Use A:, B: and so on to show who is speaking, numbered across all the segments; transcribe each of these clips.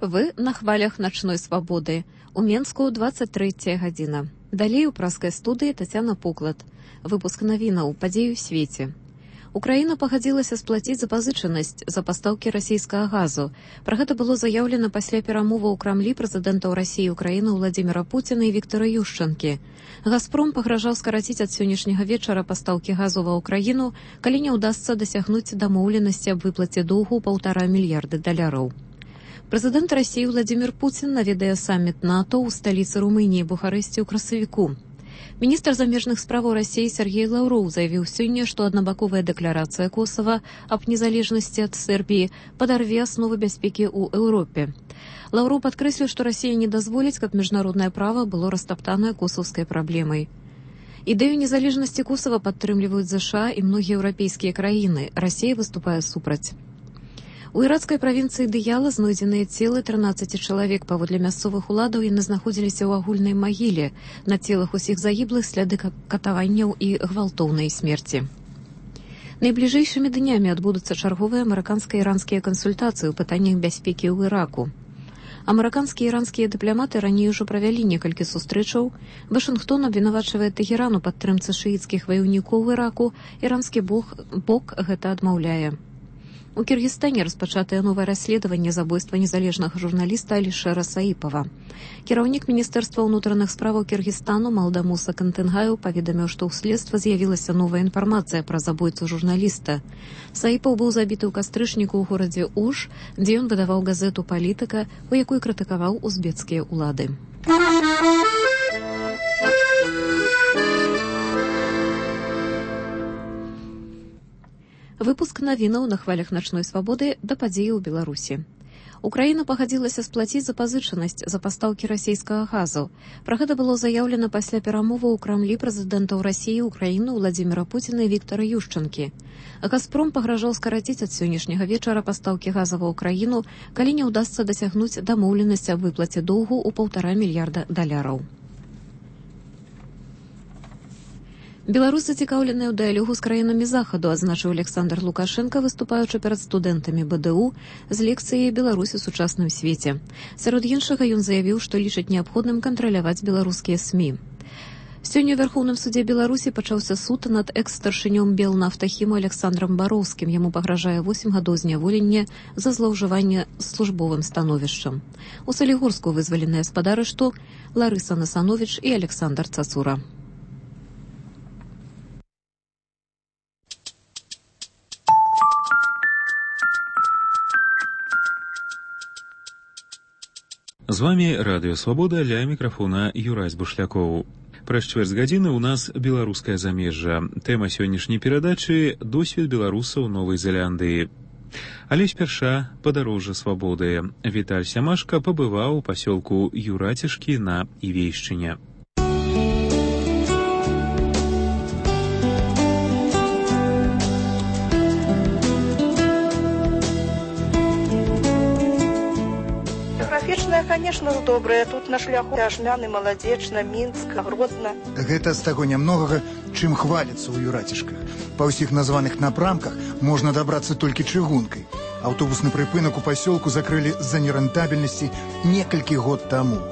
A: Вы на хвалях начной свободы. У Менску 23 гадзіна. Далей у праскай студыі Тацяна Поклад. Выпуск навінаў падзей у свеце. Украіна пагадзілася сплаціць запазычанасць за пастаўкі расійскага газу. Пра гэта было заяўлена пасля перамоваў у Крамлі прэзідэнтаў Расіі і Украіны Владзіміра Пуціна і Віктара Ющанкі. «Газпром» пагражаў скараціць ад сённяшняга вечара пастаўкі газу ва ўкраіну, калі не ўдасца дасягнуць дамоўленасці аб выплаце доўгу $1,5 мільярда. Прэзідэнт Расіі Владзімір Пуцін наведае саміт НАТО ў сталіцы Румыніі Бухарэсці ў красавіку. Міністр замежных справаў Расіі Сергей Лаўроў заявіў сёння, што аднабаковая дэкларацыя Косава аб незалежнасці ад Сербіі падарве асновы бяспекі ў Еўропе. Лаўроў падкрэсліў, што Расія не дазволіць, каб міжнароднае права было растаптанае косаўскай праблемай. Ідэю незалежнасці Косава падтрымліваюць ЗША і многія еўрапейскія краіны. Расія выступае супраць. У іракскай правінцыі Дыяла знойдзеныя целы 13 чалавек. Паводле мясцовых уладаў яны знаходзіліся ў агульнай магіле. На целах усіх загіблых сляды катаванняў і гвалтоўнай смерці. Найбліжэйшымі днямі адбудуцца чарговыя амерыканска-іранскія кансультацыі ў пытаннях бяспекі ў Іраку. Амерыканскія і іранскія дыпламаты раней ужо правялі некалькі сустрэчаў. Вашынгтон абвінавачвае Тэгеран у падтрымцы шыіцкіх ваяўнікоў у Іраку. Іранскі бок гэта адмаўляе. У Кіргізстане распачатае новае расследаванне забойства незалежнага журналіста Алішэра Саіпова. Кіраўнік Міністэрства ўнутраных справаў Кіргізстану Малдамуса Кантынгаю паведаміў, што ў следства з'явілася новая інфармацыя пра забойцу журналіста. Саіпаў быў забіты ў кастрычніку ў горадзе Уж, дзе ён выдаваў газету «Палітыка», у якой крытыкаваў узбецкія ўлады. Выпуск навінаў на хвалях начной свабоды да падзеі ў Беларусі. Украіна пагадзілася сплаціць запазычанасць за пастаўкі расійскага газу. Пра гэта было заяўлена пасля перамоваў у Крамлі прэзідэнтаў Расіі і Украіны Владзіміра Пуціна і Віктара Ющанкі. «Газпром» пагражаў скараціць ад сённяшняга вечара пастаўкі газа ва ўкраіну, калі не ўдасца дасягнуць дамоўленасці аб выплаце доўгу ў $1,5 мільярда. Беларусь зацікаўленая ў дыялогу з краінамі захаду, адзначыў Александр Лукашенко, выступаючы перад студэнтамі БДУ з лекцыяй «Беларусь у сучасным свеце». Сярод іншага ён заявіў, што лічыць неабходным кантраляваць беларускія СМІ. Сёння ў Вярхоўным судзе Беларусі пачаўся суд над экс-старшынём Белнафтахіму Александрам Бароўскім. Яму пагражае 8 гадоў зняволення за злоўжыванне службовым становішчам. У Салігорску вызваленыя з-пад арышту Ларыса Насановіч і Александр Цацура.
B: З вами Радыё Свабода, ля мікрафона Юрась Бушлякоў. Праз чвэрць гадзіны ў нас беларускае замежжа. Тэма сённяшняй перадачы – досвед беларусаў Новай Зеландыі. Але спярша падарожжа свабоды. Віталь Сямашка пабываў у пасёлку Юрацішкі на Івейшчыне.
C: Конечно, добрая. Тут на шляху Ашмяны, Маладзечна, Мінск, Гродна.
D: Гэта з таго нямногага, чым хваліцца ў Юрацішках. Па ўсіх названых напрамках можна дабрацца толькі чыгункай. Аўтобусны прыпынак у пасёлку закрылі з-за нерэнтабельнасці некалькі год таму.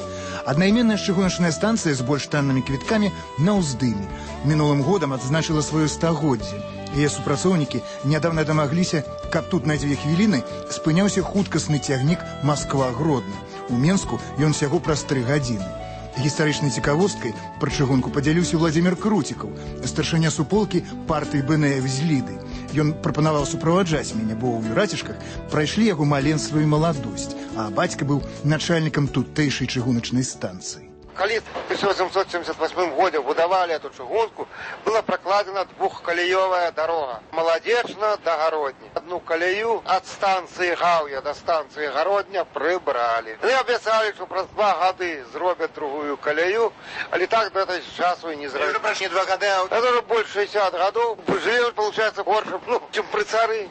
D: Аднайменная чыгуначная станцыя з больш таннымі квіткамі на ўздыме. Мінулым годам адзначыла сваё стагоддзе. Яе супрацоўнікі нядаўна дамагліся, каб тут на 2 хвіліны спыняўся хуткасны цягнік Масква-Гродна. У Менску ён усяго праз 3 гадзіны. Гістарычнай цікавосткай пра чыгунку падзяліўся Владзімір Круцікаў, старшыня суполкі партыі БНФ з Ліды. Ён прапанаваў суправаджаць мяне, бо ў Юрацішках прайшлі яго маленства і маладосць, а бацька быў начальнікам тутэйшай чыгуначнай станцыі.
E: Калі в 1878 годзе будавалі эту чыгунку, была пракладзена 2-калеёвая дарога. Маладзечна да Гародні. Одну калею ад станцыі Гаўя да станцыі Гародня прыбралі. Яны абяцалі, што праз 2 гады зробяць другую калею, але так да этой часу і не зрабілі. Прайшлі 2 гады, а это уже больш 60 гадоў. Жылі, получается, горш, чым пры цары.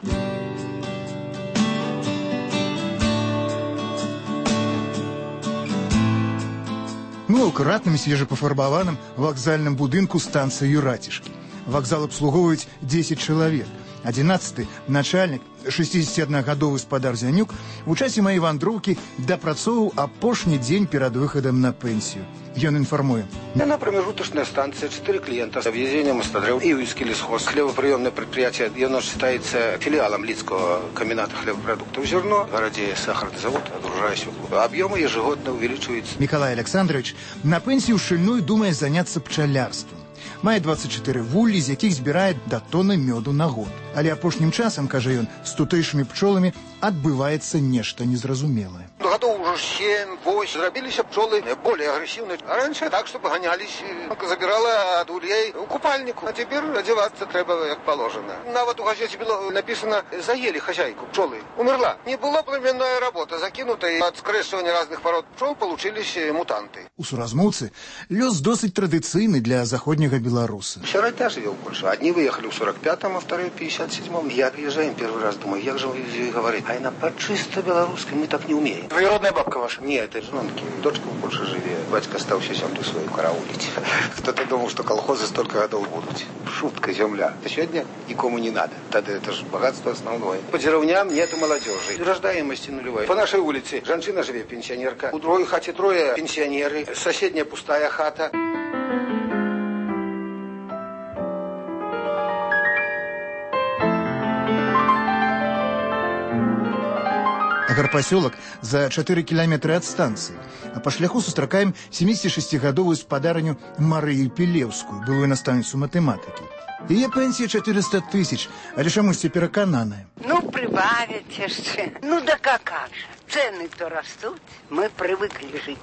D: Мы ў акуратным свежапафарбаваным вакзальным будынку станцыі Юрацішкі. Вакзал абслугоўваюць 10 чалавек. 11-й начальнік, 61-гадовы спадар Зянюк, у часе маёй вандроўкі дапрацоўваў апошні дзень перад выхадам на пенсію. Ён інфармуе.
F: На промежуточная станция, 4 клиента, объездение Мостодрев и Уйский лесхоз. Хлебоприемное предприятие, оно считается филиалом Лицкого комбината хлебопродуктов «Зерно». В городе сахарный завод, отгружая свеклу. Объемы ежегодно увеличиваются.
D: Миколай Александрович на пенсію шчыльной думае заняцца пчалярствам. Мае 24 вуллі, з якіх збірае да тоны мёду на год. Але апошнім часам, кажа ён, з тутэйшымі пчоламі адбываецца нешта незразумелае.
F: Годов уже 7-8 зрабіліся пчолы более агрессивные. А раньше так, чтобы гонялись, забирала от ульей у купальнику. А теперь одеваться треба как положено. Нават у газете было написано «Заели хозяйку пчелы». Умерла. Не была племенная работа. Закинутая от скрещивания разных пород пчел получились мутанты.
D: У суразмоўцы лёс досыць традыцыйны для заходняга беларуса.
F: Сирота живет в Польше. Одни выехали в 45-м, а вторые в 57-м. Я приезжаю первый раз, думаю, как же вы говорите? А она по чисто белорусской, мы так не умеем.
G: Двоюродная бабка ваша?
F: Нет, это жонки. Дочка в Польше живет. Батька остался землю свою караулить. Кто-то думал, что колхозы столько годов будут. Шутка, земля. А сегодня никому не надо. Тогда это же богатство основное. По деревням нету молодежи. Рождаемости нулевой. По нашей улице женщина живет, пенсионерка. У другой хате трое пенсионеры. Соседняя пустая хата.
D: Аграпасёлак за 4 кіламетры ад станцыі. А па шляху сустракаем 76-гадовую спадарню Марыю Пілеўскую, былую настаўніцу матэматыкі. Яе пенсія 400 000, але чамусьці перакананая.
H: Ну, прибавят яшчэ. Ну, да как же. Цены-то растут. Мы привыкли жить.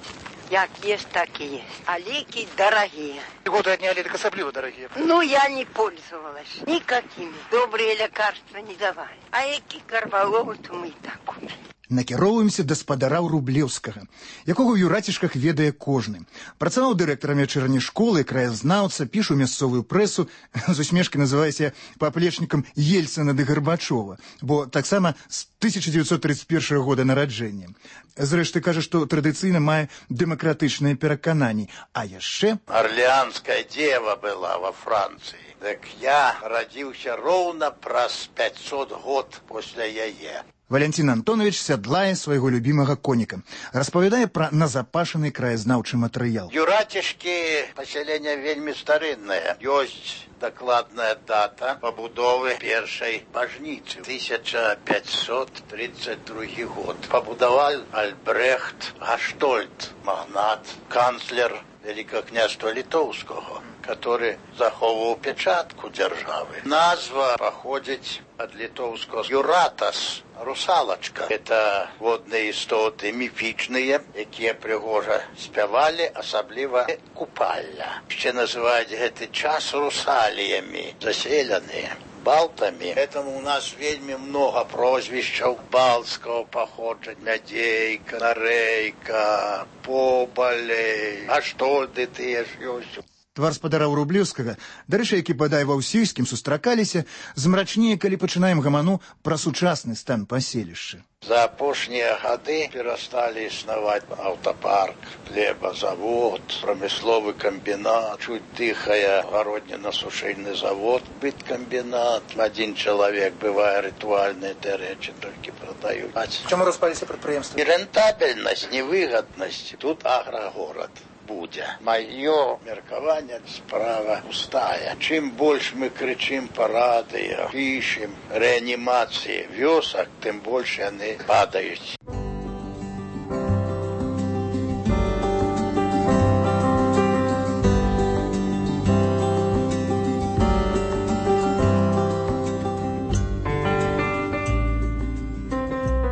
H: Як есть, так и есть. А леки дорогие.
G: Годы одни, а леток особливо дорогие.
H: Ну, я не пользовалась никакими. Добрые лекарства не давали. А эки карваловы-то мы и так купили.
D: Накіроўваемся да спадара Рублеўскага, якога ў Юрацішках ведае кожны. Працаваў дырэктарам вячэрняй школы, краязнаўца, пішу мясцовую прэсу, з усмешкай называйся паплечнікам Ельцына ды Гарбачова, бо таксама з 1931 года нараджэння. Зрэшты, кажа, што традыцыйна мае дэмакратычныя перакананні. А яшчэ...
I: Орлеанская дева была во Франции. Так я родился ровно праз 500 год после яе.
D: Валентин Антонович сядлае свайго любімага коніка. Распавядае пра назапашаны краязнаўчы матэрыял.
I: Юрацішкі паселення вельмі старыннае. Ёсць дакладная дата пабудовы першай бажніцы. 1532 год. Пабудаваў Альбрехт Гаштольд, магнат, канцлер Великого княжества Литовского, который заховывал печатку державы. Назва походит от литовского «юратас», «русалочка». Это водные истоты мифичные, которые пригожа спевали, особливо купальня. Еще называют этот час русалиями, заселенные. Балтами. Поэтому у нас вельми много прозвищев балтского походження. Мядейка, Нарейка, Побалей, Аштольды тыя ж ёсць.
D: Твар спадара Рублеўскага, дарэчы, які бадай ва ўсіх, з кім сустракаліся, змрачнее, калі пачынаем гаману пра сучасны стан паселішча.
I: За апошнія гады перасталі існаваць аўтапарк, хлебазавод, прамысловы камбінат, чуть дыхае гароднінна-сушыльны завод, быткамбінат. Один чалавек, бывае, рытуальныя рэчы толькі прадаюць.
G: Чаму распаліся прадпрыемствы?
I: І рэнтабельнасць, невыгаднасць. Тут аграгорад будзе. Маё меркаванне справа пустая. Чым больш мы крычым па радыё, пішем рэанімацыі вёсак, тым больш яны падаюць.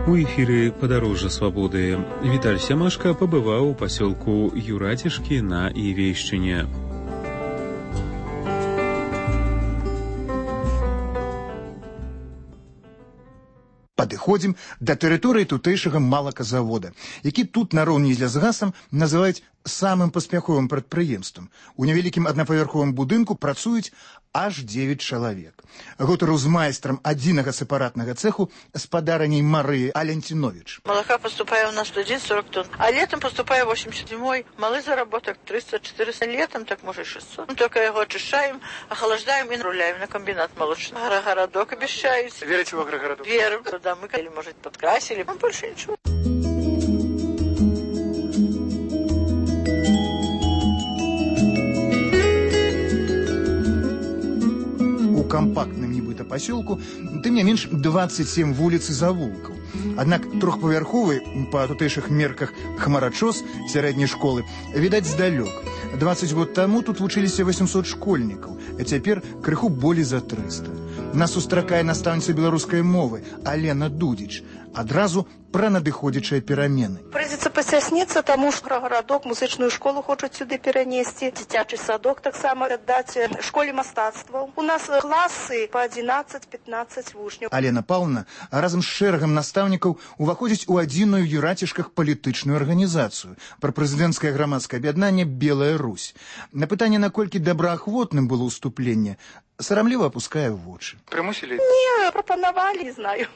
B: У эфіры «Падарожжа свабоды» Віталь Сямашка пабываў у пасёлку Юрацішкі на Івейшчыне.
D: Падыходзім да тэрыторыі тутэйшага малаказавода, які тут нароўні з лясгасам называюць самым паспяховым прадпрыемствам. У невялікім аднапавярховым будынку працуюць аж 9 чалавек. Гутарыў з майстрам адзінага сепаратнага цэху спадарыняй Марыі Алентинович.
J: Молока поступает у нас в день 40 тонн, а летом поступает 80. Зимой малый заработок 300-400, летом так может 600. Мы только его очищаем, охлаждаем и руляем на комбинат молочный. Агрогородок обещают.
G: Верите в агрогородок?
J: Верим. Туда мы, или, может, подкрасили, а больше ничего.
D: У кампактным нібыта пасёлку тым не менш 27 вуліц і завулкаў. Аднак трохпавярховы, па тутэйшых мерках, хмарачос сярэдняй школы відаць здалёк. 20 год таму тут вучыліся 800 школьнікаў, а цяпер крыху болей за 300. Нас сустракае настаўніца беларускай мовы Алена Дудзіч. Адразу пра надыходзячыя перамены.
C: Прыйдзецца пасясніцца, таму што аграгарадок музычную школу хочуць сюды перанесці, дзіцячы садок таксама аддаць школе мастацтваў. У нас класы па 11-15 вучняў.
D: Алена Паўловна разам з шэрагам настаўнікаў уваходзіць у адзіную ў Юрацішках палітычную арганізацыю пра прэзідэнцкае грамадскае аб'яднанне «Белая Русь». На пытанне, наколькі добраахвотным было ўступленне, сарамліва апускае вочы.
G: Прымусілі?
C: Не, прапанавалі, не знаю.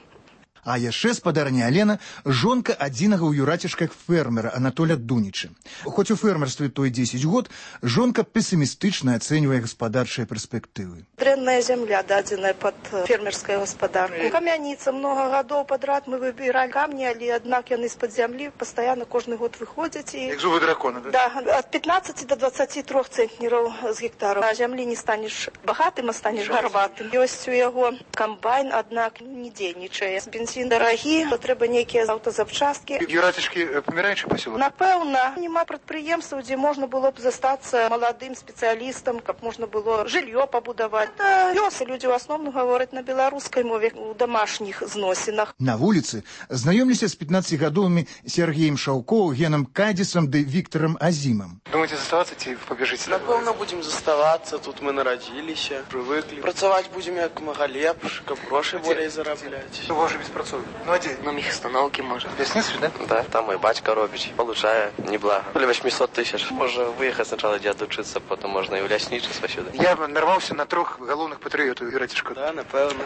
D: А яшчэ спадарня Алена жонка адзінага ў Юрацішках фермера Анатоля Дуніча. Хоць у фермерстве той 10 год, жонка песімістычна ацэньвае гаспадарчыя перспектывы.
C: Дрэнная зямля дадзеная пад фермерскае гаспадарку. Камяніца много гадоў падрад мы выбіралі камні, але аднак яны з-пад зямлі пастаянна кожны год выходзяць і...
G: Як зубы дракона, да?
C: Да, ад 15 до 23 цэнтнераў з гектараў. На зямлі не станеш багатым, а станеш гарбатым. Ёсць у яго камбайн, аднак не дзейнічае. Бензін дарагі, трэба нейкія аўтазапчасткі.
G: Юрацішкі паміраючы пасёлак?
C: Напэўна, няма прадпрыемстваў, дзе можна было б застацца маладым спецыялістам, каб можна было жыллё пабудаваць. Лёсы людзі ў асноўным гавораць на беларускай мове у дамашніх зносінах.
D: На вуліцы знаёмліся з 15-гадовымі Сергеем Шаўковым, Генам Кадзісам ды Віктарам Азімам.
G: Думаеце заставацца ці пабежыце?
K: Напэўна, будзем заставацца, тут мы нарадзіліся, прывыклі. Працаваць будзем як мага лепш, каб грошы болей зарабляць.
G: Вы ўжо беспрацоўны. Ну, а дзе?
K: На мехастаноўкі, можа.
G: Лясніцтве, да?
K: Да, там мой бацька робіць, получае неблага. Более 800 000. Можа выехаць сначала дзе адучыцца, потом можна і ў ляснічыства сюды.
G: Я нарваўся на 3 галоўных патрыётаў Юрацішках.
K: Да, напэўна.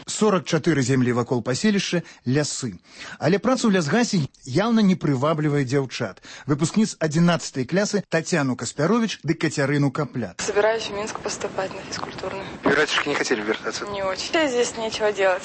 D: 44 землі вакол паселішча – лясы. Але працу ў лясгасе яўна не прываблівае дзяўчат. Выпускніц 11-й клясы Татьяну Каспярович ды Кацярыну Капляк.
L: Собираюсь в Минск поступать на физкультурную.
G: Юрацішки не хотели вертаться?
L: Не очень. Здесь нечего делать.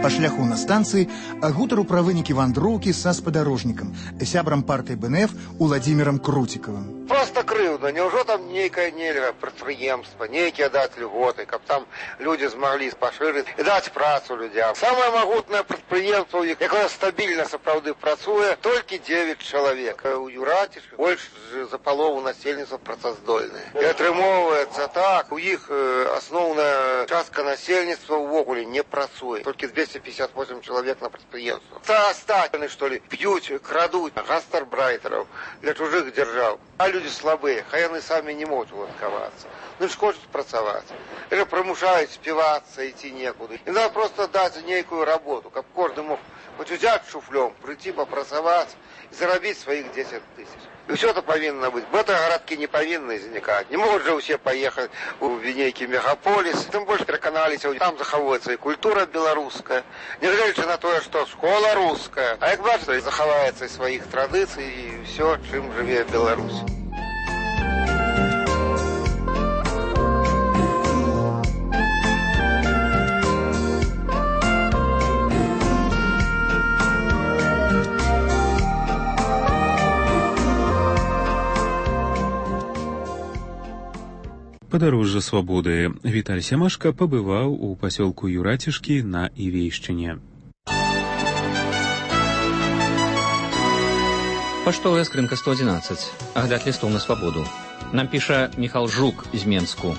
D: Па шляху на станцыі гутару пра вынікі вандроўкі са спадарожнікам, сябрам партыі БНФ Уладзімірам Круцікавым.
E: Просто крыўдна, няўжо там нейкае нельга прадпрыемства, нейкія даць льготы, каб там людзі змаглі пашырыць і даць працу людзям. Самае магутнае прадпрыемства, якое стабільна сапраўды працуе, толькі 9 чалавек. У Юрацішках больш за палову насельніцтва працаздольныя. І атрымоўваецца так, у іх асноўная частка насельніцтва ўвогуле не працуе. Толькі 258 человек на предприятии. Остаточные, что ли, пьют, крадут гастарбайтеров для чужих держав. А люди слабые, хай они сами не могут уладковаться. Ну, ж хочуть працаваць. Или примушают співаться, идти некуда. И надо просто дать некую работу, как каждый мог хоть взять шуфлем, прийти попрацаваць и заработать своих 10 000. И все это повинно быть. В этой городке не повинны возникать. Не могут же все поехать в некий мегаполис. Тем больше переконались, там заховывается и культура белорусская. Не глядя на то, что школа русская. А как бачите, заховается и своих традиций, и все, чем живет Беларусь.
B: Падарожжа свабоды. Віталь Сямашка пабываў у пасёлку Юрацішкі на Івейшчыне.
M: Паштовая скрынка 111. Агляд лістоў на свабоду. Нам піша Міхал Жук з Менску.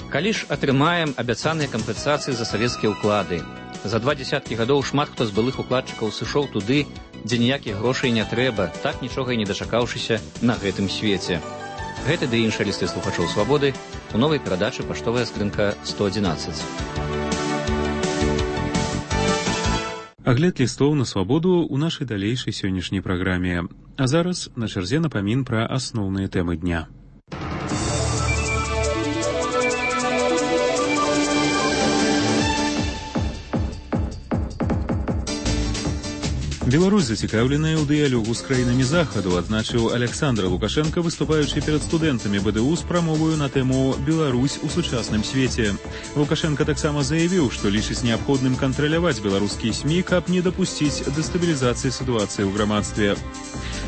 M: Калі ж атрымаем абяцаныя кампенсацыі за савецкія ўклады? За 20 гадоў шмат хто з былых укладчыкаў сышоў туды, дзе ніякіх грошай не трэба, так нічога і не дачакаўшыся на гэтым свеце. Гэты ды іншыя лісты слухачоў свабоды у новай перадачы «Паштовая скрынка 111».
B: Агляд лістоў на свабоду ў нашай далейшай сённяшняй праграме. А зараз на чарзе напамін пра асноўныя тэмы дня. Беларусь зацікаўленая ў дыялогу з краінамі захаду, адзначыў Александр Лукашенко, выступаючы перад студэнтамі БДУ з прамоваю на тэму «Беларусь у сучасным свеце». Лукашенко таксама заявіў, што лічыць неабходным кантраляваць беларускія СМІ, каб не дапусціць дэстабілізацыі сітуацыі ў грамадстве.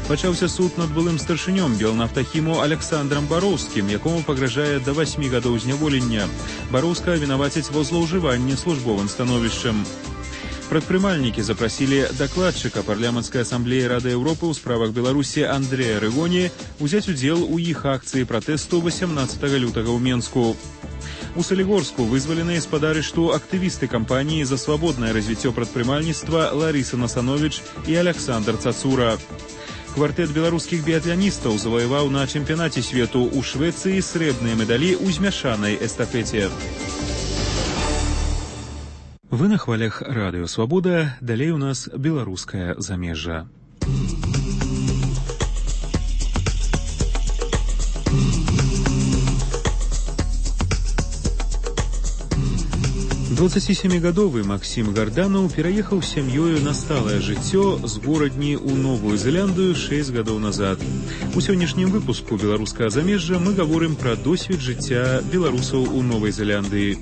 B: Пачаўся суд над былым старшынём Белнафтахіму Александрам Бароўскім, якому пагражае да 8 гадоў зняволення. Бароўска вінавацяць ва злоўжыванні службовым становішчам. Прадпрымальнікі запрасілі дакладчыка парламенцкай асамблеі Рады Еўропы ў справах Беларусі Андрэя Рыгоні узяць удзел у іх акцыі пратэсту 18 лютага ў Менску. У Салігорску вызваленыя з-пад арышту актывісты кампаніі за свабоднае развіццё прадпрымальніцтва Ларыса Насановіч і Александр Цацура. Квартэт беларускіх біятланістаў заваяваў на чэмпіянаце свету ў Швецыі срэбныя медалі ў змяшанай эстафеце. Вы на хвалях радыё «Свабода», далей у нас беларускае замежжа. Двадццацісемігадовы Максім Гарданаў пераехаў з сям'ёю на сталае жыццё з горадні ў Новую Зеландыю 6 гадоў назад. У сённяшнім выпуску беларускага замежжа мы гаворым пра досвед жыцця беларусаў у Новай Зеландыі.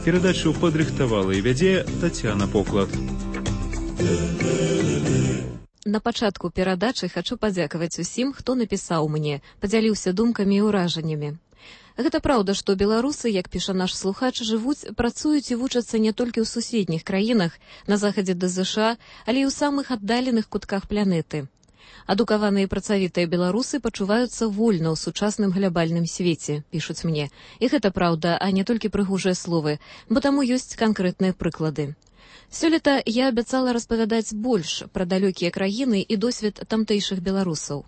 B: Перадачу падрыхтавала і вядзе Тацяна Поклад.
A: На пачатку перадачы хачу падзякаваць усім, хто напісаў мне, падзяліўся думкамі і ўражаннямі. Гэта праўда, што беларусы, як піша наш слухач, жывуць, працуюць і вучацца не толькі ў суседніх краінах, на захадзе да ЗША, але і ў самых аддаленых кутках планеты. Адукаваныя і працавітыя беларусы пачуваюцца вольна ў сучасным глябальным свеце, пішуць мне. І гэта праўда, а не толькі прыгожыя словы, бо таму ёсць канкрэтныя прыклады. Сёлета я абяцала распавядаць больш пра далёкія краіны і досвед тамтэйшых беларусаў.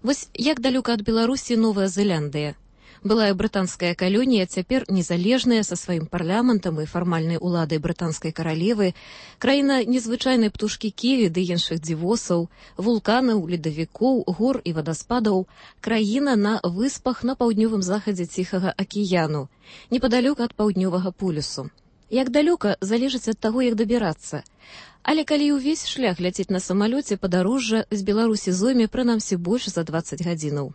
A: Вось як далёка ад Беларусі Новая Зеландыя. Былая брытанская калонія, цяпер незалежная, са сваім парламентам і фармальнай уладай брытанскай каралевы, краіна незвычайнай птушкі ківі ды іншых дзівосаў, вулканаў, ледавікоў, гор і вадаспадаў, краіна на выспах на паўднёвым захадзе Ціхага акіяну, непадалёк ад паўднёвага полюсу. Як далёка, залежыць ад таго, як дабірацца. Але калі ўвесь шлях ляціць на самалёце, падарожжа з Беларусі зойме прынамсі больш за 20 гадзінаў.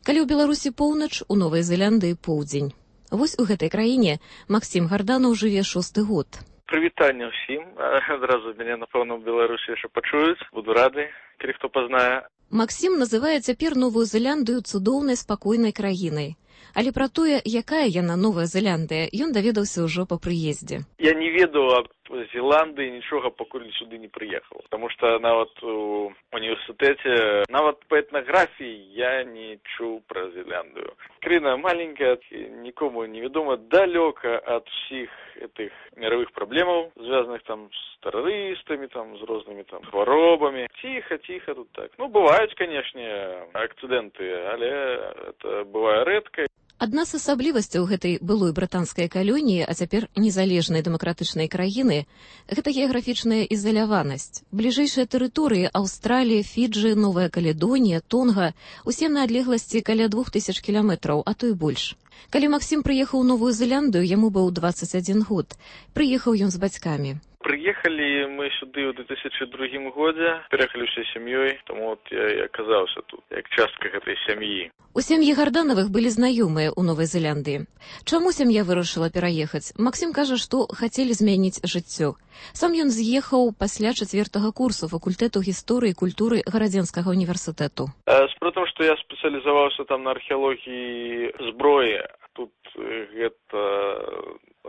A: Калі ў Беларусі поўнач, у Новай Зеландыі поўдзень. Вось у гэтай краіне Максім Гарданаў жыве 6-й год.
N: Прывітанне ўсім. Адразу мяне, напэўна, ў Беларусі яшчэ пачуюць. Буду рады, калі хто пазнае.
A: Максім называе цяпер Новую Зеландыю цудоўнай спакойнай краінай. Але пра тое, якая яна Новая Зеландыя, ён даведаўся ўжо па прыездзе.
N: Я не ведаў аб Зеландыі нічога, пакуль сюды не прыехаў. Таму што нават у універсітэце, нават па этнаграфіі я не чуў пра Зеландыю. Краіна маленькая, нікому невядома, далёка ад усіх гэтых мировых праблемаў, звязаных там з тэрарыстамі, там з рознымі там хваробамі. Ціха тут так. Ну, бываюць, канешне, акцыдэнты, але это бывае рэдка.
A: Адна з асаблівасцяў гэтай былой брытанскай калоніі, а цяпер незалежнай дэмакратычнай краіны, гэта геаграфічная ізаляванасць. Бліжэйшыя тэрыторыі Аўстралія, Фіджы, Новая Каледонія, Тонга – усе на адлегласці каля 2000 кіламетраў, а то і больш. Калі Максім прыехаў у Новую Зеландыю, яму быў 21 год. Прыехаў ён з бацькамі.
N: Прыехалі мы сюды ў 2002 годзе, пераехалі ўсёй сям'ёй, таму я і аказаўся тут, як частка гэтай сям'і.
A: У сям'і Гарданавых былі знаёмыя ў Новай Зеландыі. Чаму сям'я вырашыла пераехаць? Максім кажа, што хацелі змяніць жыццё. Сам ён з'ехаў пасля 4-го курсу факультэту гісторыі і культуры Гарадзенскага універсітэту.
N: Справа, што я спецыялізаваўся там на археалогіі зброі. Тут гэта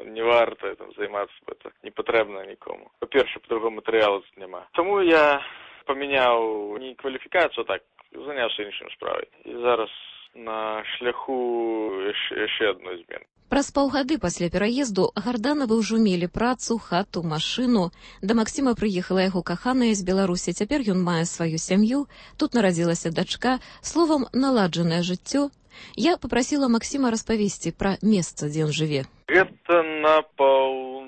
N: не варта займацца, это не патрэбна нікому. Па-перше, па-другому матэрыялу тут няма. Таму я памяняў не кваліфікацыю, так, заняўся іншым справай. І зараз на шляху яшчэ адной змены.
A: Праз паўгады пасля пераезду Гарданавы ўжо мелі працу, хату, машыну. Да Максіма прыехала яго каханая з Беларусі. Цяпер ён мае сваю сям'ю. Тут нарадзілася дачка. Словам, наладжанае жыццё. Я папрасіла Максіма распавесці пра месца, дзе ён жыве.
N: Гэта на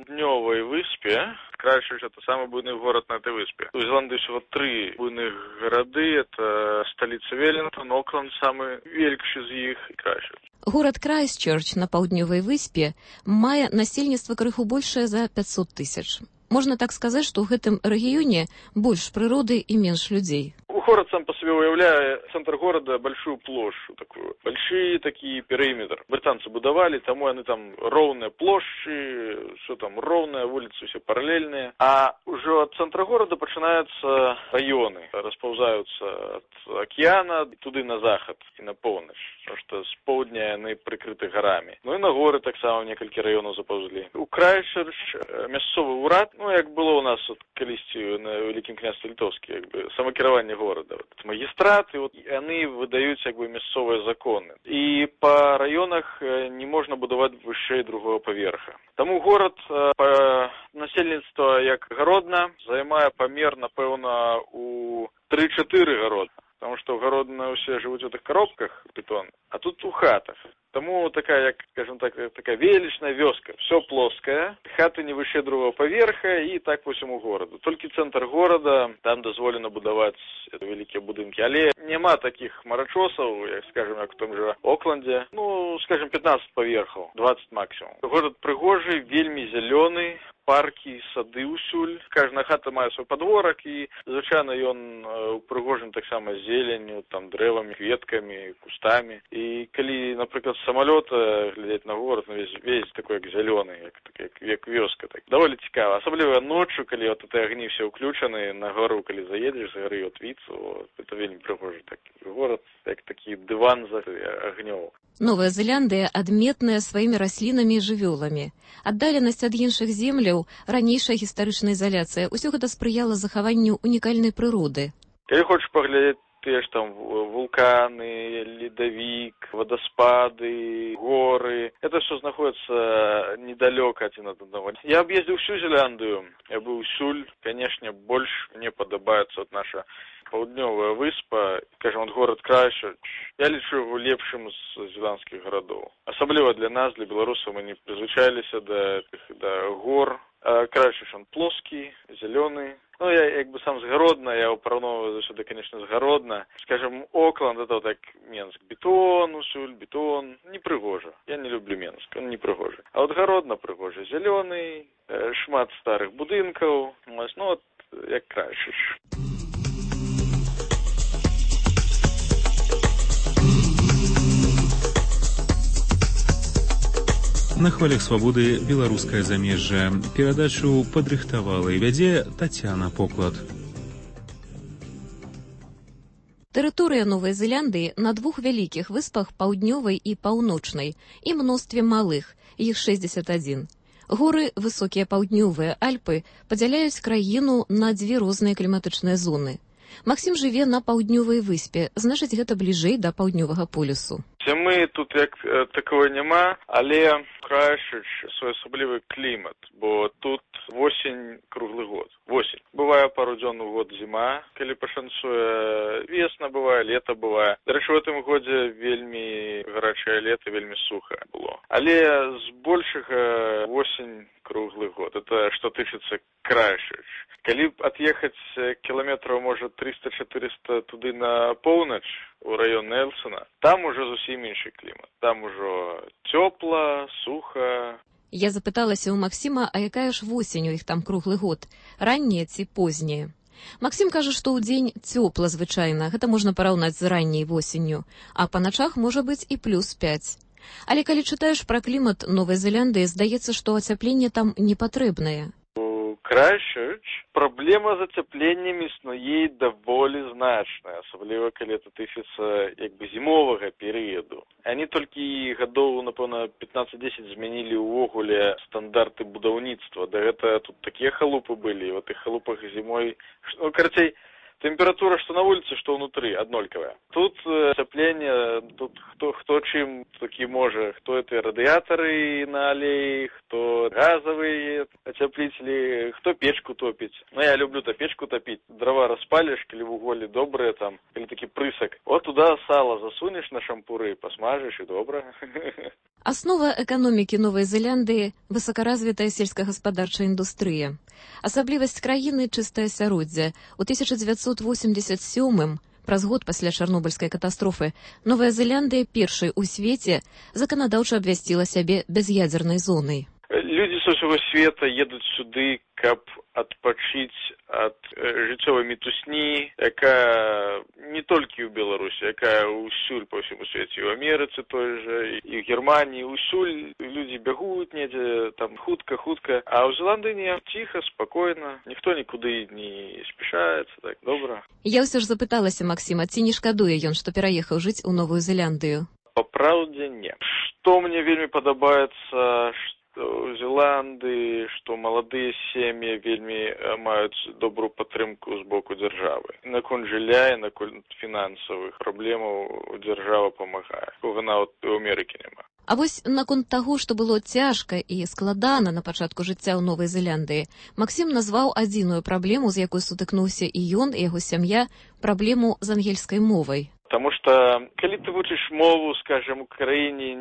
N: паўднёвай выспе. Крайшчерч — это самый буйны город на этой выспе. У Зеландии всего 3 буйных гарады. Это столица Веллингтон, Окленд самый вялікшы з іх і Крайшчерч.
A: Горад Крайстчерч на паўднёвай выспе мае насельніцтва крыху большае за 500 тысяч. Можна так сказаць, што ў гэтым рэгіёне больш прыроды і менш людзей.
N: Город сам по себе уявляет центр города большую площадь такую, большие такие периметр. Британцы будовали, тому они там ровные площади, все там ровные, улицы все параллельные. А уже от центра города начинаются районы, расползаются от океана туды на заход и на полночь, потому что с поўдня они прикрыты горами. Ну и на горы так само некалькі районов заползли. У Крайстчерч мясцовы урад, ну як было у нас от калісьці на Великім княстве Літоўскі, як бы самакіраванне города. Магистраты, вот, они выдают как бы мясцовые законы. И по районах не можно будовать выше другого поверха. Тому город по насельніцтва як Гародна займае памер, напэўна, у 3-4 Гародна. Потому что Гародна все живут в этих коробках бетон, а тут у хатах. Тому такая, як, скажем так, такая величная вёска. Все плоское, хаты не выше другого поверха и так по всему городу. Только центр города, там дозволено будовать великие будинки. Але нема таких марачосов, як, скажем, як в том же Окленде. Ну, скажем, 15 поверхов, 20 максимум. Город пригожий, вельми зеленый. Парки, сады усюль. Кожна хата мае свой подворок, і звычайно ён упрыгожен так само зеленню, там дрэвамі, кветкамі, кустамі. І калі, напрыклад, з самалёта глядзець на город, ну, весь такой як зялёны, як вёска, так даволі цікава. Асабліва ноччу, калі вот эти агні все ўключаны, на гору, калі заедзеш, з гары от віцу, вот, это вельмі прыгожы такі город, як такі дыван за агнёў.
A: Новая Зеландыя адметная сваімі раслінамі і жывёламі. Аддаленасць ад іншых земляў, ранейшая гістарычная ізаляцыя, усё гэта спрыяла захаванню унікальнай прыроды.
N: Калі хочаш паглядзець тыя ж там вулканы, ледавік, вадаспады, горы, это все знаходится недалёка адзін ад аднаго. Я аб'ездзіў всю Зеландыю, я быў усюль, конечно, больш мне падабаецца от наша паўднёвая выспа, скажем, от город Крайстчерч. Я лічу его лепшым з зеландскіх гарадоў. Асабліва для нас, для беларусаў, мы не прызвычаіліся да гор. Крайстчерч он плоскі, зялёны. Ну, я як бы сам з Гародна, я его параўноўваю заўсёды, конечно, з Гародна. Скажем, Окленд, это вот так Менск. Бетон, усюль, бетон. Не прыгожа. Я не люблю Менск, он не прыгожа. А вот Гародна прыгожа. Зялёны, шмат старых будынкаў. Ну, вот як Крайстчерч.
B: На хвалях свабоды беларускае замежжа. Перадачу падрыхтавала і вядзе Тацяна Поклад.
A: Тэрыторыя Новай Зеландыі на 2 вялікіх выспах паўднёвай і паўночнай і мностве малых, іх 61. Горы, высокія паўднёвыя Альпы падзяляюць краіну на 2 розныя кліматычныя зоны. Максім жыве на паўднёвай выспе, значыць, гэта бліжэй да паўднёвага полюсу.
N: Мы тут як такого нема, але Крайстчерч своеасаблівы клімат, бо тут осень круглы год. Осень. Бывае пару дзён у год зіма, калі пашанцуе, весна бывае, лета бывае. Дарэчы, в гэтым годзе вельмі гарачае лета, вельмі суха было. Але збольшага осень круглый год. Это что тычыцца Крайстчерч. Калі отъехать километров, может, 300-400 туды на поўнач, у район Нельсона, там уже зусім іншы клімат. Там ужо цёпла, суха.
A: Я запыталася ў Максіма, а якая ж восень у іх там круглы год, ранняя ці позняя. Максім кажа, што ў дзень цёпла звычайна, гэта можна параўнаць з ранняй восенню, а па начах можа быць і +5. Але калі чытаеш пра клімат Новай Зеландыі, здаецца, што ацяпленне там не патрэбнае.
N: Крайстчерч праблема з ацяпленнем існуе даволі значная, асабліва калі это тычыцца як бы зімовага перыяду. Они толькі гадоў, напэўна, 15-10 змянілі ўвогуле стандарты будаўніцтва. Да гэта тут такія халупы былі, в этих халупах зімой, ну, карацей, температура что на улице, что внутри, однольковая. Тут отопление, тут кто чим таки может, кто это радиаторы на аллее, кто газовые отоплители, кто печку топить. Ну, я люблю-то печку топить. Дрова распалишь, или в уголе добрые там, или таки прысок. Вот туда сало засунешь на шампуры, посмажешь и добро.
A: Аснова эканомікі Новай Зеландыі – высокаразвітая сельскагаспадарчая індустрыя. Асаблівасць краіны – чыстае асяроддзе. У 1987-м, праз год пасля Чарнобыльскай катастрофы, Новая Зеландыя першай у свеце заканадаўча абвясціла сябе бяз'ядзернай зонай.
N: Людзі са ўсяго света едуць сюды, каб адпачыць ад жыццёвай мітусні, якая не толькі ў Беларусі, якая ўсюль па ўсяму свеце, і ў Амерыцы той жа, і ў Германіі, ўсюль людзі бягуць недзе, там хутка, а ў Зеландыі не, ціха, спакойна, ніхто нікуды не спяшаецца, так, добра.
A: Я ўсё ж запыталася Максіма, ці не шкадуе ён, што пераехаў жыць у Новую Зеландыю?
N: Па праўдзе, не. Што мне вельмі падабаецца, у Зеландыі, што маладыя сем'і вельмі маюць добрую падтрымку з боку дзяржавы. Наконт жылля і наконт фінансавых праблемаў дзяржава памагае. Кога нават у Амерыкі няма.
A: А вось наконт таго, што было цяжка і складана на пачатку жыцця ў Новай Зеландыі, Максім назваў адзіную праблему, з якой сутыкнуўся і ён, і яго сям'я, праблему з ангельскай мовай.
N: Потому что, коли ты учишь мову, скажем, в Украине,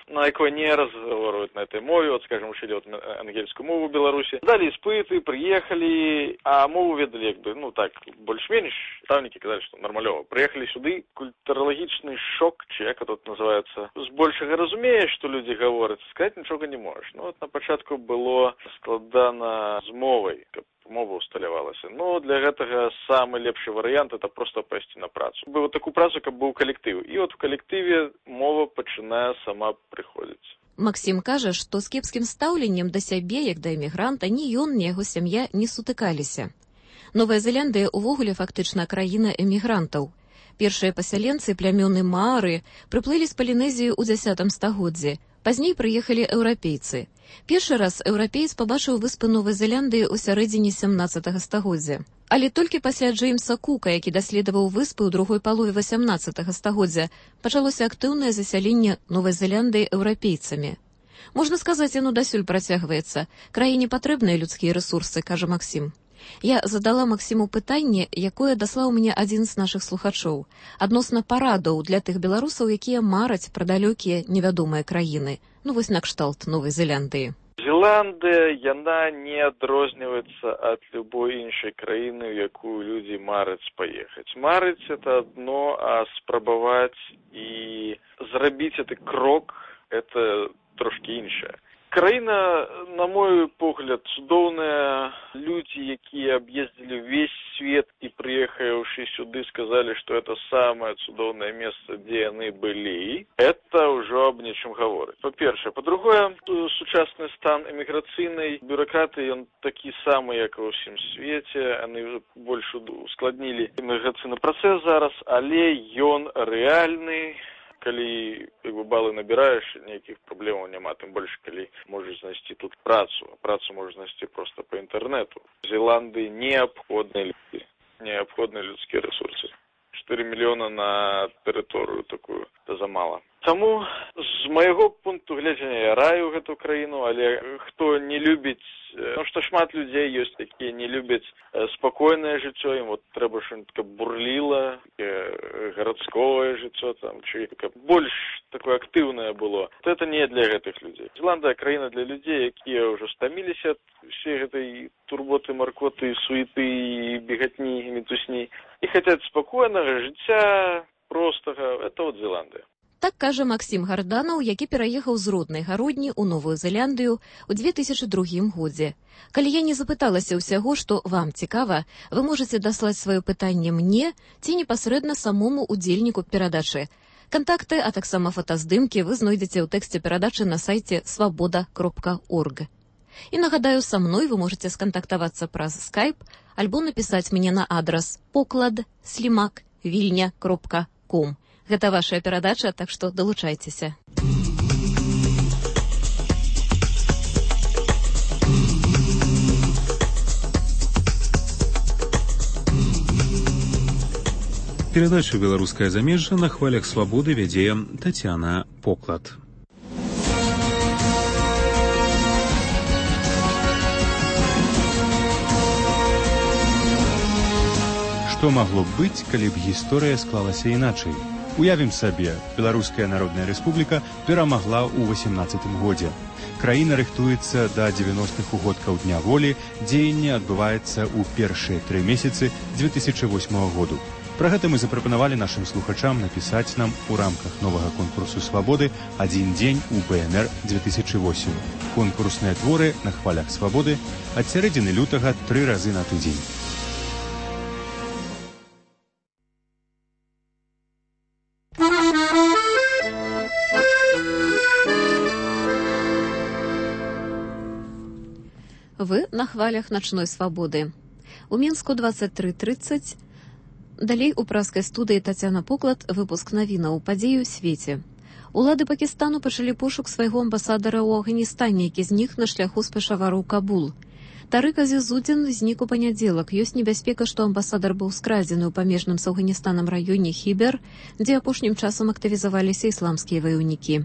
N: на якой не разговаривают на этой мове, вот, скажем, учили вот ангельскую мову в Беларуси, дали испыты, приехали, а мову ведали, ну так, больш-менш, ставники казали, что нормалево. Приехали сюда, культурологичный шок, як это называется, с большего разумеешь, что люди говорят, сказать ничего не можешь. Ну, вот на початку было складано з мовой, мова усталявалася. Ну, для гэтага самы лепшы варыянт это просто пайсці на працу. Быў такую працу, каб быў калектыў. І от у калектыве мова пачынае сама прыходзіць.
A: Максім кажа, што з кепскім стаўленнем да сябе, як да эмігранта, ні ён, ні яго сям'я не сутыкаліся. Новая Зеландыя ўвогуле фактычна краіна эмігрантаў. Першыя пасяленцы, плямёны маары, прыплылі з Палінезіі ў 10 стагоддзі. Пазней прыехалі еўрапейцы. Першы раз еўрапеец пабачыў выспы Новай Зеландыі ў сярэдзіне 17 стагоддзя. Але толькі пасля Джеймса Кука, які даследаваў выспы ў другой палове 18 стагоддзя, пачалося актыўнае засяленне Новай Зеландыі еўрапейцамі. Можна сказаць, яно дасюль працягваецца. Краіне патрэбныя людскія рэсурсы, кажа Максім. Я задала Максіму пытанне, якое даслаў мне адзін з нашых слухачоў, адносна парадаў для тых беларусаў, якія мараць пра далёкія невядомыя краіны. Ну вось накшталт Новай Зеландыі.
N: Зеландыя, яна не адрозніваецца ад любой іншай краіны, у якую людзі мараць паехаць. Марыць это адно, а спрабаваць і зрабіць гэты крок это трошкі іншае. Краіна, на мой погляд, цудоўная. Людзі, якія аб'ездзілі ўвесь свет і прыехаўшы сюды, сказалі, што это самае цудоўнае месца, дзе яны былі. Это ўжо аб нечым гаворыць. Па-першае. Па-другое, сучасны стан эміграцыйнай бюракраты, ён такі самы, як ва ўсім свеце. Яны больш ускладнілі эміграцыйны працэс зараз, але ён рэальны. Калі балы набіраеш, ніякіх праблемаў няма, тым больш, калі можаш знайсці тут працу. Працу можаш знайсці проста па інтэрнэту. В Зеландыі неабходныя людзі, неабходныя людскія рэсурсы. 4 мільёна на тэрыторыю такую, это замала. Таму, з майго пункту гледжання, я раю гэту краіну, але хто не любіць, ну што шмат людзей ёсць, якія не любяць спакойнае жыццё, ім вот трэба што-нибудь каб бурліла, гарадское жыццё, там, чи каб больш такое актыўнае было. Вот это не для гэтых людзей. Зеландыя краіна для людзей, якія ўжо стаміліся ад усей гэтай турботы, маркоты, суеты і бегатні, і мітусні. І хацяць спакойнага жыцця, простага. Это вот Зеландыя.
A: Так кажа Максім Гарданаў, які пераехаў з роднай гародні ў Новую Зеландыю ў 2002 годзе. Калі я не запыталася ўсяго, што вам цікава, вы можаце даслаць сваё пытанне мне ці непасрэдна самому удзельніку перадачы. Кантакты, а таксама фотаздымкі вы знойдзеце ў тэксце перадачы на сайце swaboda.org. І нагадаю, са мной вы можаце скантактавацца праз Skype альбо напісаць мне на адрас poklad@vilnia.com. Гэта вашая перадача, так што далучайцеся.
B: Перадачу «Беларускае замежжа» на хвалях свабоды вядзе Тацяна Поклад. Што магло б быць, калі б гісторыя склалася іначай?
O: Уявім сабе, Беларуская Народная Рэспубліка перамагла ў 18 годзе. Краіна рыхтуецца да 90-х угодкаў Дня волі, дзеянне адбываецца ў першыя 3 месяцы 2008 году. Пра гэта мы запрапанавалі нашым слухачам напісаць нам у рамках новага конкурсу свабоды «Адзін дзень у БНР 2008». Конкурсныя творы на хвалях свабоды ад сярэдзіны лютага 3 разы на тыдзень.
A: Вы на хвалях начной свободы. У Мінску 23:30. Далей у праскай студыі Тацяна Поклад выпуск навінаў падзеі ў свеце. Улады Пакістану пачалі пошук свайго амбасадара ў Афганістане, які знік на шляху з Пешавару ў Кабул. Тарык Азізудзін знік у панядзелак. Ёсць небяспека, што амбасадар быў скрадзены ў памежным з Афганістанам раёне Хібер, дзе апошнім часам актывізаваліся ісламскія ваяўнікі.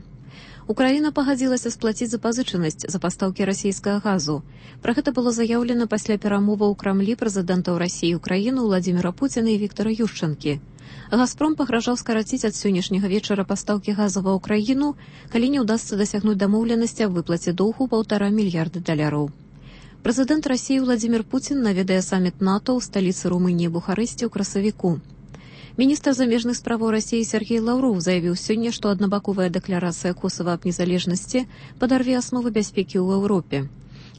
A: Украіна пагадзілася сплаціць запазычанасць за пастаўкі расійскага газу. Пра гэта было заяўлена пасля перамоваў у Крамлі прэзідэнтаў Расіі і Украіны Владзіміра Пуціна і Віктара Юшчанкі. Газпром пагражаў скараціць ад сённяшняга вечара пастаўкі газа ва ўкраіну, калі не ўдасца дасягнуць дамоўленасці аб выплаце доўгу $1,5 мільярда. Прэзідэнт Расіі Владзімір Пуцін наведае саміт НАТО ў сталіцы Румыніі Бухарэсце ў красавіку. Міністр замежных справаў Расіі Сергей Лаўров заявіў сёння, што аднабаковая дэкларацыя Косава аб незалежнасці падарве асновы бяспекі ў Еўропе.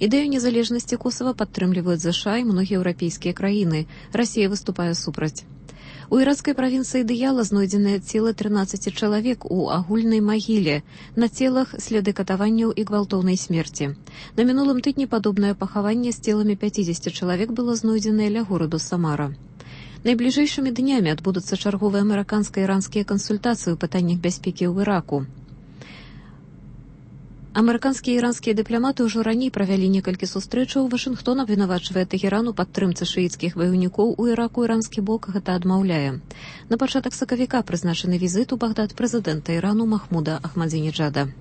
A: Ідэю незалежнасці Косава падтрымліваюць ЗША і многія еўрапейскія краіны. Расія выступае супраць. У іракскай правінцыі Дыяла знойдзеныя целы 13 чалавек у агульнай магіле. На целах следы катаванняў і гвалтоўнай смерці. На мінулым тыдні падобнае пахаванне з целамі 50 чалавек было знойдзенае ля гораду Самара. Найбліжэйшымі днямі адбудуцца чарговыя амерыканска-іранскія кансультацыі ў пытаннях бяспекі ў Іраку. Амерыканскія і іранскія дыпламаты ўжо раней правялі некалькі сустрэчаў. Вашынгтон абвінавачвае Тэгеран у падтрымцы шыіцкіх ваяўнікоў у Іраку. Іранскі бок гэта адмаўляе. На пачатак сакавіка прызначаны візіт у Багдад прэзідэнта Ірану Махмуда Ахмадзінеджада.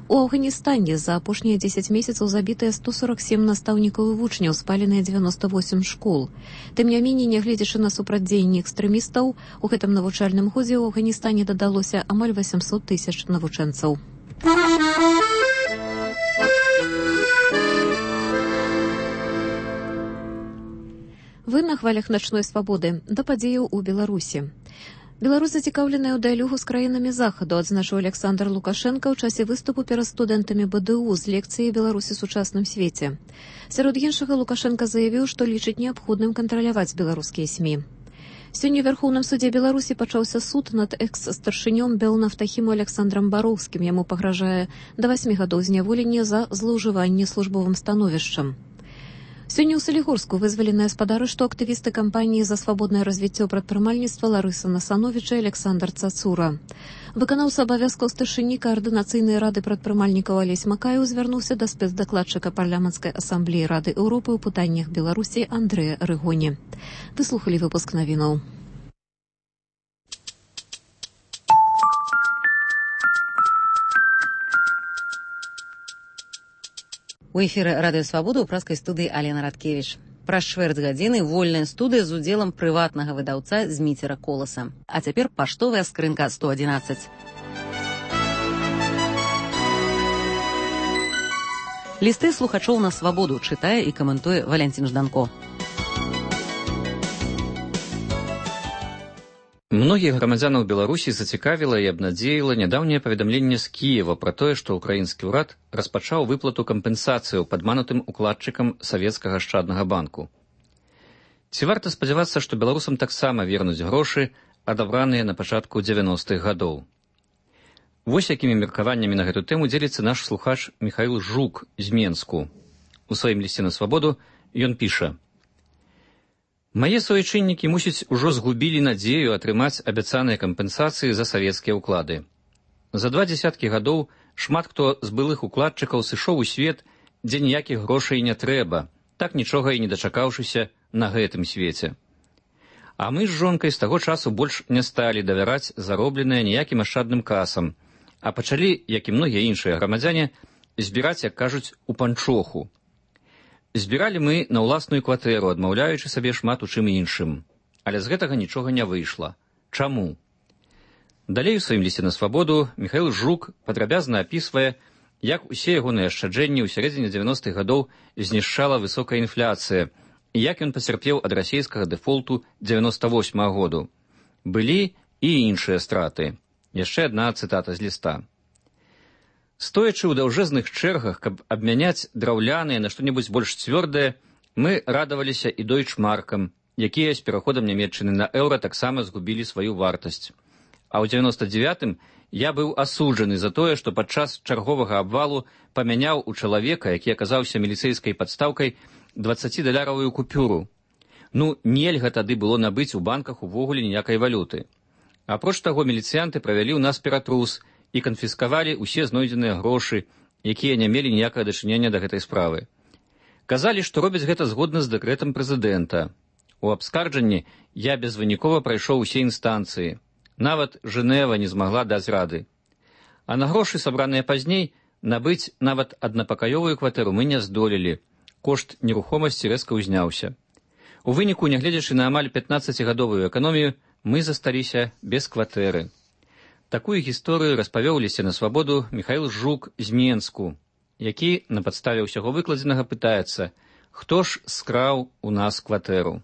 A: У Афганістане за апошнія 10 месяцаў забітыя 147 настаўнікаў і вучняў, спаленыя 98 школ. Тым не меней, нягледзячы на супрацьдзеянне экстрэмістаў, у гэтым навучальным годзе ў Афганістане дадалося амаль 800 000 навучэнцаў. Вы на хвалях начной свабоды да падзеяў у Беларусі. Беларусь зацікаўленая ў дыялогу з краінамі захаду, адзначыў Александр Лукашенко ў часе выступу перад студэнтамі БДУ з лекцыяй «Беларусі ў сучасным свеце». Сярод іншага Лукашенко заявіў, што лічыць неабходным кантраляваць беларускія СМІ. Сёння ў Вярхоўным судзе Беларусі пачаўся суд над экс-старшынём Белнафтахіму Александрам Бароўскім. Яму пагражае да 8 гадоў зняволення за злоўжыванне службовым становішчам. Сёння ў Салігорску вызваленыя спадары, што актывісты кампаніі за свабоднае развіццё прадпрымальніцтва Ларыса Насановіча і Александр Цацура. Выканаўца абавязкаў старшыні каардынацыйнай рады прадпрымальнікаў Алесь Макаеў звярнуўся да спецдакладчыка парламенцкай асамблеі Рады Еўропы ў пытаннях Беларусі Андрэя Рыгоні. Выслухалі выпуск навінаў.
P: У эфіры радыё «Свабода» ў праскай студыі Алена Радкевіч. Праз чвэрць гадзіны вольная студыя з удзелам прыватнага выдаўца Зміцера Коласа. А цяпер паштовая скрынка 111. Лісты слухачоў на свабоду чытае і каментуе Валянцін Жданко.
M: Многіх грамадзянаў Беларусі зацікавіла і абнадзеіла нядаўняе паведамленне з Кіева пра тое, што ўкраінскі ўрад распачаў выплату кампенсацыяў падманутым укладчыкам савецкага ашчаднага банку. Ці варта спадзявацца, што беларусам таксама вернуць грошы, адабраныя на пачатку 90-х гадоў? Вось якімі меркаваннямі на гэту тэму дзеліцца наш слухач Міхаіл Жук з Менску. У сваім лісце на свабоду ён піша: «Мае суайчыннікі, мусіць, ужо згубілі надзею атрымаць абяцаныя кампенсацыі за савецкія ўклады. За 20 гадоў шмат хто з былых укладчыкаў сышоў у свет, дзе ніякіх грошай не трэба, так нічога і не дачакаўшыся на гэтым свеце. А мы з жонкай з таго часу больш не сталі давяраць заробленае ніякім ашчадным касам, а пачалі, як і многія іншыя грамадзяне, збіраць, як кажуць, у панчоху. Збіралі мы на ўласную кватэру, адмаўляючы сабе шмат у чым іншым. Але з гэтага нічога не выйшла. Чаму? Далей у сваім лісце на свабоду Міхаіл Жук падрабязна апісвае, як усе ягоныя ашчаджэнні ў сярэдзіне 90-х гадоў знішчала высокая інфляцыя і як ён пацярпеў ад расійскага дэфолту 98-го году. Былі і іншыя страты. Яшчэ адна цытата з ліста. Стоячы ў даўжэзных чэргах, каб абмяняць драўляныя на што-небудзь больш цвёрдае, мы радаваліся і дойчмаркам, якія з пераходам Нямецчыны на еўра таксама згубілі сваю вартасць. А ў 99-м я быў асуджаны за тое, што падчас чарговага абвалу памяняў у чалавека, які аказаўся міліцэйскай падстаўкай, 20-даляровую купюру. Ну, нельга тады было набыць у банках увогуле ніякай валюты. Апроч таго, міліцыянты правялі ў нас ператрус і канфіскавалі ўсе знойдзеныя грошы, якія не мелі ніякага дачынення да гэтай справы. Казалі, што робяць гэта згодна з дэкрэтам прэзідэнта. У абскарджанні я безвынікова прайшоў усе інстанцыі. Нават Жэнева не змагла даць рады. А на грошы, сабраныя пазней, набыць нават аднапакаёвую кватэру мы не здолелі. Кошт нерухомасці рэзка ўзняўся. У выніку, нягледзячы на амаль 15-гадовую эканомію, мы засталіся без кватэры. Такую гісторыю распавёў у лісце на свабоду Міхаіл Жук з Менску, які на падставе ўсяго выкладзенага пытаецца, хто ж скраў у нас кватэру.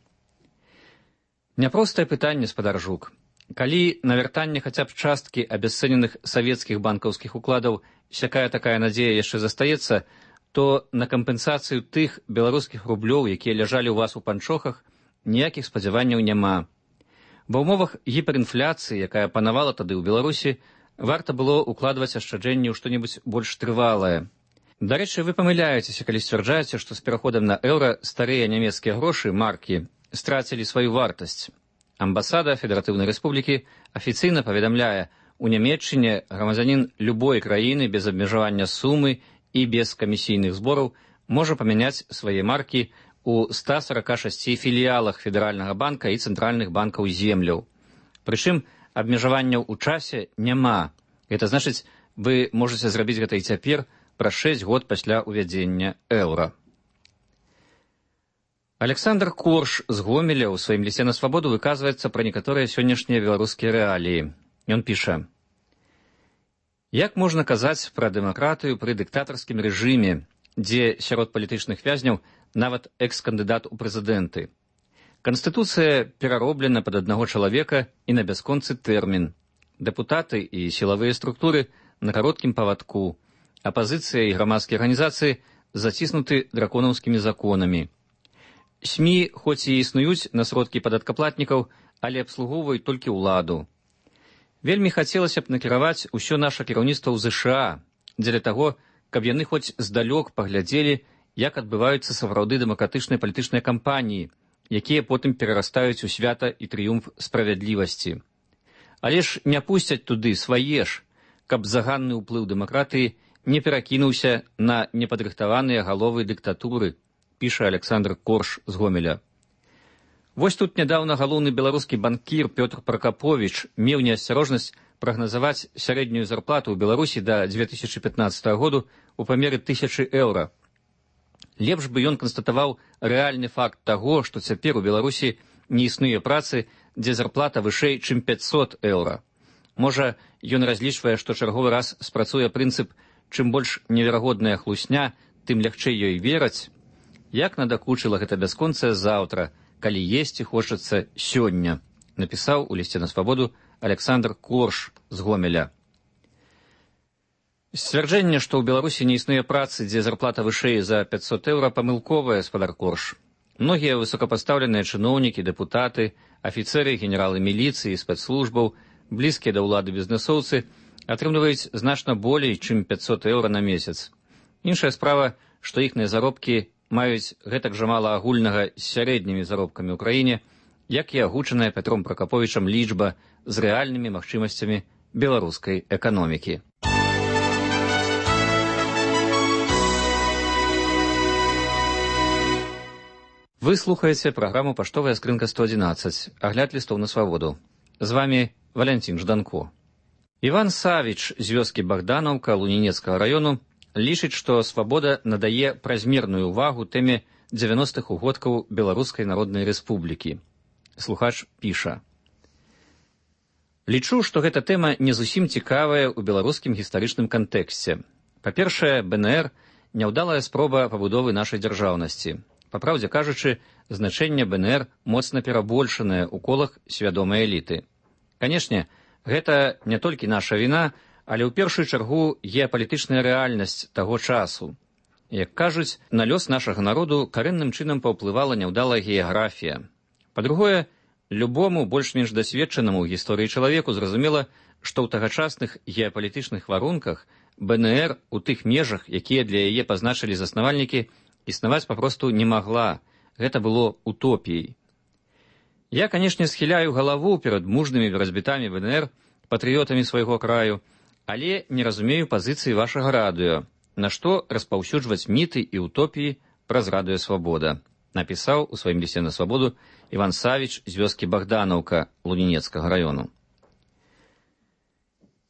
M: Няпростае пытанне, спадар Жук. Калі на вяртанне хаця б часткі абясцэненых савецкіх банкаўскіх укладаў сякая-такая надзея яшчэ застаецца, то на кампенсацыю тых беларускіх рублёў, якія ляжалі ў вас у панчохах, ніякіх спадзяванняў няма. Ва ўмовах гіперінфляцыі, якая панавала тады ў Беларусі, варта было укладваць ашчаджэнні ў што-небудзь больш трывалае. Дарэчы, вы памыляецеся, калі сцвярджаеце, што з пераходам на еўра старыя нямецкія грошы, маркі, страцілі сваю вартасць. Амбасада Федэратыўнай Рэспублікі афіцыйна паведамляе, у Нямецчыне грамадзянін любой краіны без абмежавання сумы і без камісійных збораў можа памяняць свае маркі у 146 філіялах Федэральнага банка і цэнтральных банкаў земляў. Прычым абмежаванняў у часе няма. Гэта значыць, вы можаце зрабіць гэта і цяпер праз 6 год пасля ўвядзення еўра. Александр Корш з Гомеля ў сваім лісце на свабоду выказваецца пра некаторыя сённяшнія беларускія рэаліі. Ён піша: «Як можна казаць пра дэмакратыю пры дыктатарскім рэжыме, дзе сярод палітычных вязняў нават экс-кандыдат у прэзідэнты? Канстытуцыя перароблена пад аднаго чалавека і на бясконцы тэрмін. Дэпутаты і сілавыя структуры на кароткім павадку. Апазіцыя і грамадскія арганізацыі заціснуты драконаўскімі законамі. СМІ хоць і існуюць на сродкі падаткаплатнікаў, але абслугоўваюць толькі ўладу. Вельмі хацелася б накіраваць усё наша кіраўніцтва ў ЗША дзеля таго, каб яны хоць здалёк паглядзелі, як адбываюцца сапраўды дэмакратычныя палітычныя кампаніі, якія потым перарастаюць у свята і трыумф справядлівасці. Але ж не пусцяць туды свае ж, каб заганны ўплыў дэмакратыі не перакінуўся на непадрыхтаваныя галовы дыктатуры, піша Александр Корш з Гомеля. Вось тут нядаўна галоўны беларускі банкір Пётр Пракаповіч меў неасцярожнасць прагназаваць сярэднюю зарплату ў Беларусі да 2015 году у памеры 1000 еўра. Лепш бы ён канстатаваў рэальны факт таго, што цяпер у Беларусі не існуе працы, дзе зарплата вышэй, чым 500 еўра. Можа, ён разлічвае, што чарговы раз спрацуе прынцып «чым больш неверагодная хлусня, тым лягчэй ёй вераць». Як надакучыла гэта бясконцае заўтра, калі есці хочацца сёння, напісаў у лісце на свабоду Александр Корш з Гомеля. Сцвярджэнне, што ў Беларусі не існуе працы, дзе зарплата вышэй за 500 еўра, памылковая, спадар Корш. Многія высокапастаўленыя чыноўнікі, дэпутаты, афіцэры, генералы міліцыі, спецслужбаў, блізкія да ўлады бізнэсоўцы атрымліваюць значна болей, чым 500 еўра на месяц. Іншая справа, што іхныя заробкі маюць гэтак жа мала агульнага з сярэднімі заробкамі ў краіне, як і агучаная Пятром Пракаповічам лічба з рэальнымі магчымасцямі беларускай эканомікі. Вы слухаеце праграму «Паштовая скрынка 111», агляд лістоў на свабоду. З вамі Валянцін Жданко. Іван Савіч з вёскі Богданаўка Лунінецкага раёну лічыць, што свабода надае празмерную ўвагу тэме 90-х угодкаў Беларускай Народнай Рэспублікі. Слухач піша: Лічу, што гэта тэма не зусім цікавая ў беларускім гістарычным кантэксце. Па-першае, БНР – няўдалая спроба пабудовы нашай дзяржаўнасці. Па праўдзе кажучы, значэнне БНР моцна перабольшанае ў колах свядомай эліты. Канешне, гэта не толькі наша віна, але ў першую чаргу геапалітычная рэальнасць таго часу. Як кажуць, на лёс нашага народу карэнным чынам паўплывала няўдалая геаграфія. Па-другое, любому больш-менш дасведчанаму ў гісторыі чалавеку зразумела, што ў тагачасных геапалітычных варунках БНР у тых межах, якія для яе пазначылі заснавальнікі, існаваць папросту не магла. Гэта было утопіяй. Я, канешне, схіляю галаву перад мужнымі разбітамі БНР, патрыётамі свайго краю, але не разумею пазіцыі вашага радыё, на што распаўсюджваць міты і утопіі праз радыё «Свабода», напісаў у сваім лісце на свабоду Іван Савіч з вёскі Богданаўка Лунінецкага раёну.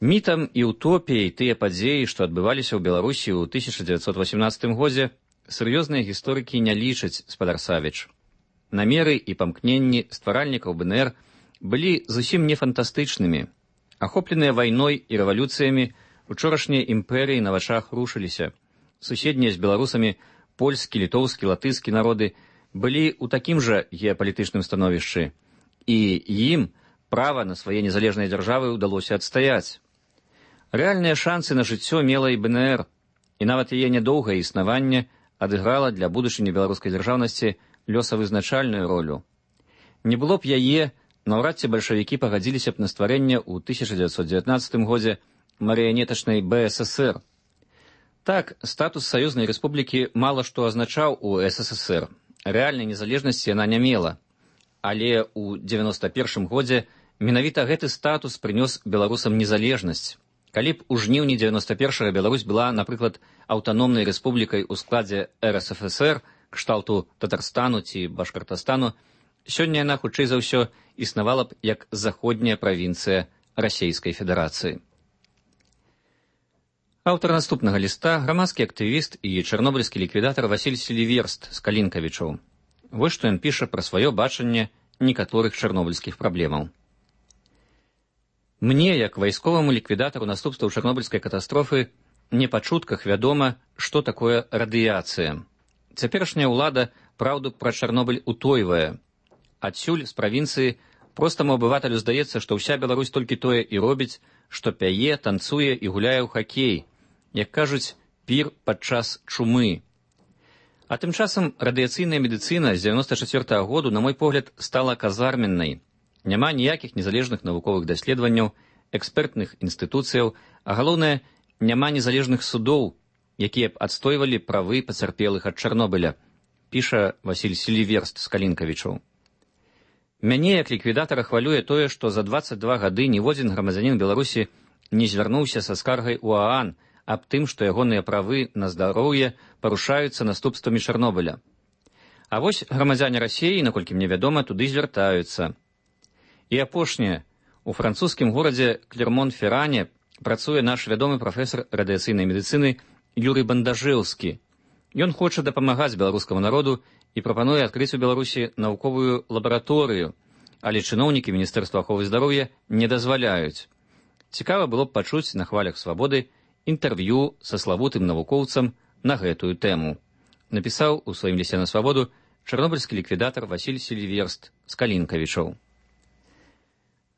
M: Мітам і утопіяй тыя падзеі, што адбываліся ў Беларусі ў 1918 годзе, сур'ёзныя гісторыкі не лічаць, спадар Савіч. Намеры і памкненні стваральнікаў БНР былі зусім не фантастычнымі. Ахопленыя вайной і рэвалюцыямі, учорашнія імперыі на вачах рушыліся. Суседнія з беларусамі польскі, літоўскі, латышскі народы былі ў такім жа геапалітычным становішчы, і ім права на свае незалежныя дзяржавы ўдалося адстаяць. Рэальныя шансы на жыццё мела і БНР, і нават яе нядоўгае існаванне адыграла для будучыні беларускай дзяржаўнасці лёсавызначальную ролю. Не было б яе, наўрад ці бальшавікі пагадзіліся б на стварэнне ў 1919 годзе марыянетачнай БССР. Так, статус саюзнай рэспублікі мала што азначаў у СССР. Рэальнай незалежнасці яна не мела. Але ў 91 годзе менавіта гэты статус прынёс беларусам незалежнасць. Калі б у жніўні 91-га Беларусь была, напрыклад, аўтаномнай рэспублікай у складзе РСФСР, кшталту Татарстану ці Башкартастану, сёння яна, хутчэй за ўсё, існавала б як заходняя правінцыя Расейскай Федэрацыі. Аўтар наступнага ліста – грамадскі актывіст і чарнобыльскі ліквідатар Васіль Селіверст з Калінкавічаў. Вось што ён піша пра сваё бачанне некаторых чарнобыльскіх праблемаў. Мне, як вайсковаму ліквідатару наступстваў чарнобыльскай катастрофы, не па чутках вядома, што такое радыяцыя. Цяперашняя ўлада праўду пра Чарнобыль утойвае. Адсюль, з правінцыі, простаму абывателю здаецца, што ўся Беларусь толькі тое і робіць, што пяе, танцуе і гуляе ў хакей, як кажуць, пір падчас чумы. А тым часам радыяцыйная медыцына з 94-го году, на мой погляд, стала казарменнай. Няма ніякіх незалежных навуковых даследаванняў, экспертных інстытуцыяў, а галоўнае, няма незалежных судоў, якія б адстойвалі правы пацярпелых ад Чарнобыля, піша Васіль Селіверст з Калінкавічаў. Мяне, як ліквідатара, хвалюе тое, што за 22 гады ніводзін грамадзянін Беларусі не звярнуўся са скаргай у ААН аб тым, што ягоныя правы на здароўе парушаюцца наступствамі Чарнобыля. А вось грамадзяне Расіі, наколькі мне вядома, туды звяртаюцца. І апошняе. У французскім горадзе Клермон-Ферране працуе наш вядомы прафесар радыяцыйнай медыцыны Юрый Бандажэўскі. Ён хоча дапамагаць беларускаму народу і прапануе адкрыць у Беларусі навуковую лабараторыю, але чыноўнікі Міністэрства аховы здароўя не дазваляюць. Цікава было б пачуць на хвалях свабоды інтэрв'ю са славутым навукоўцам на гэтую тэму. Напісаў у сваім лісце на свабоду чарнобыльскі ліквідатар Васіль Селіверст з Калінкавічаў.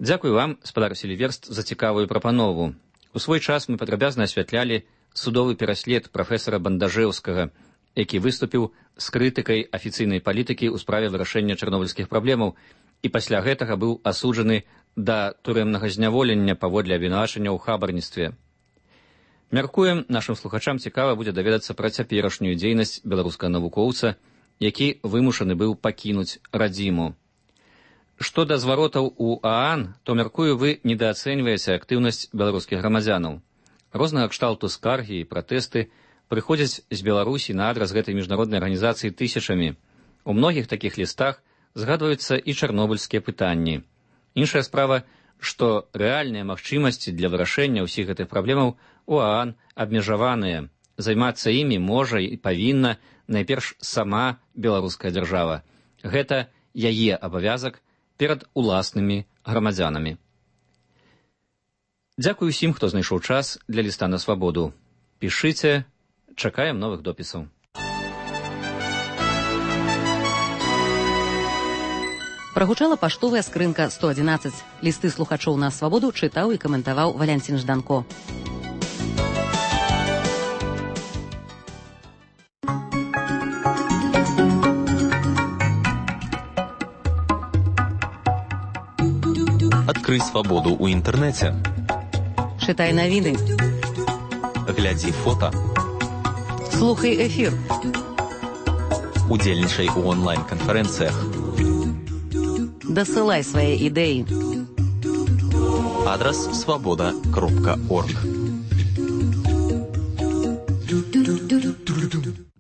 M: Дзякуй вам, спадар Селіверст, за цікавую прапанову. У свой час мы падрабязна асвятлялі судовы пераслед прафесара Бандажэўскага, які выступіў з крытыкай афіцыйнай палітыкі ў справе вырашэння чарнобыльскіх праблемаў і пасля гэтага быў асуджаны да турэмнага зняволення паводле абвінавачання ў хабарніцтве. Мяркуем, нашым слухачам цікава будзе даведацца пра цяперашнюю дзейнасць беларускага навукоўца, які вымушаны быў пакінуць радзіму. Што да зваротаў у ААН, то, мяркую, вы недаацэньваеце актыўнасць беларускіх грамадзянаў. Рознага кшталту скаргі і пратэсты прыходзяць з Беларусі на адрас гэтай міжнароднай арганізацыі тысячамі. У многіх такіх лістах згадваюцца і чарнобыльскія пытанні. Іншая справа, што рэальныя магчымасці для вырашэння ўсіх гэтых праблемаў у ААН абмежаваныя. Займацца імі можа і павінна найперш сама беларуская дзяржава. Гэта яе абавязак перад уласнымі грамадзянамі. Дзякуй усім, хто знайшоў час для ліста на свабоду. Пішыце, чакаем новых допісаў.
P: Прагучала паштовая скрынка 111. Лісты слухачоў на свабоду чытаў і каментаваў Валянцін Жданко.
Q: Адкрый свабоду ў інтэрнэце.
P: Чытай навіны.
Q: Глядзі фота.
P: Слухай эфір.
Q: Удзельнічай у онлайн-канферэнцыях.
P: Дасылай свае ідэі.
Q: Адрас свабода.орг.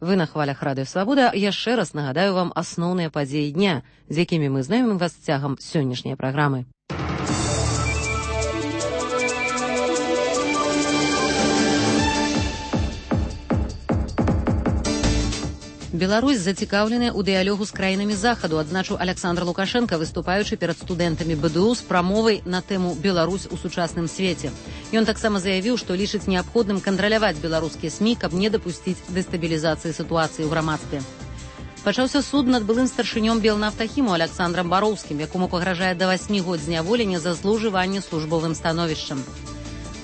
P: Вы на хвалях Радыё Свабода. Яшчэ раз нагадаю вам асноўныя падзеі дня, з якімі мы знаёмім вас цягам сённяшняй праграмы. Беларусь зацікаўленая ў дыялогу з краінамі захаду, адзначыў Аляксандр Лукашенка, выступаючы перад студэнтамі БДУ з прамовай на тэму «Беларусь у сучасным свеце». Ён таксама заявіў, што лічыць неабходным кантраляваць беларускія СМІ, каб не дапусціць дэстабілізацыі сітуацыі ў грамадстве. Пачаўся суд над былым старшынём Белнафтахіму Аляксандрам Бароўскім, якому пагражае да 8 год зняволення за злоўжыванне службовым становішчам.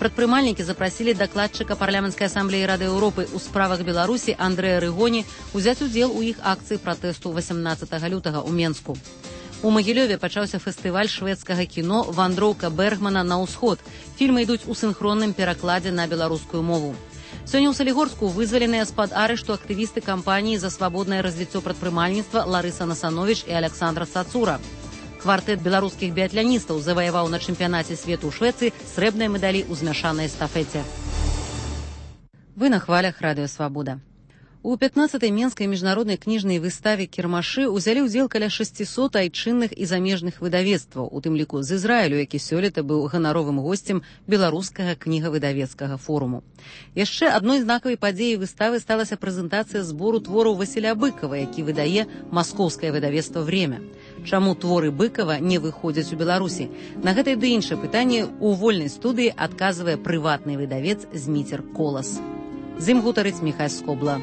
P: Прадпрымальнікі запрасілі дакладчыка парламенцкай асамблеі Рады Еўропы ў справах Беларусі Андрэя Рыгоні узяць удзел у іх акцыі пратэсту 18 лютага ў Менску. У Магілёве пачаўся фестываль шведскага кіно «Вандроўка Бергмана на ўсход». Фільмы ідуць у сінхронным перакладзе на беларускую мову. Сёння ў Салігорску вызваленыя з-пад арышту актывісты кампаніі за свабоднае развіццё прадпрымальніцтва Ларыса Насановіч і Аляксандра Цацура. Квартэт беларускіх біятляністаў заваяваў на чэмпіянаце свету ў Швецыі срэбныя медалі ў змяшанай эстафеце. Вы на хвалях Радыё Свабода. У 15-й Менскай міжнароднай кніжнай выставе «Кірмашы» узялі ўдзел каля 600 айчынных і замежных выдавецтваў, у тым ліку з Ізраілю, які сёлета быў ганаровым госцем беларускага кнігавыдавецкага форуму. Яшчэ адной знакавай падзеяй выставы сталася прэзентацыя збору твораў Васіля Быкава, які выдае маскоўскае выдавецтва «Время». Чаму творы Быкава не выходзяць у Беларусі? На гэтае ды іншае пытанне ў вольнай студыі адказвае прыватны выдавец Зміцер Колас. З ім гутарыць Міхась Скобла.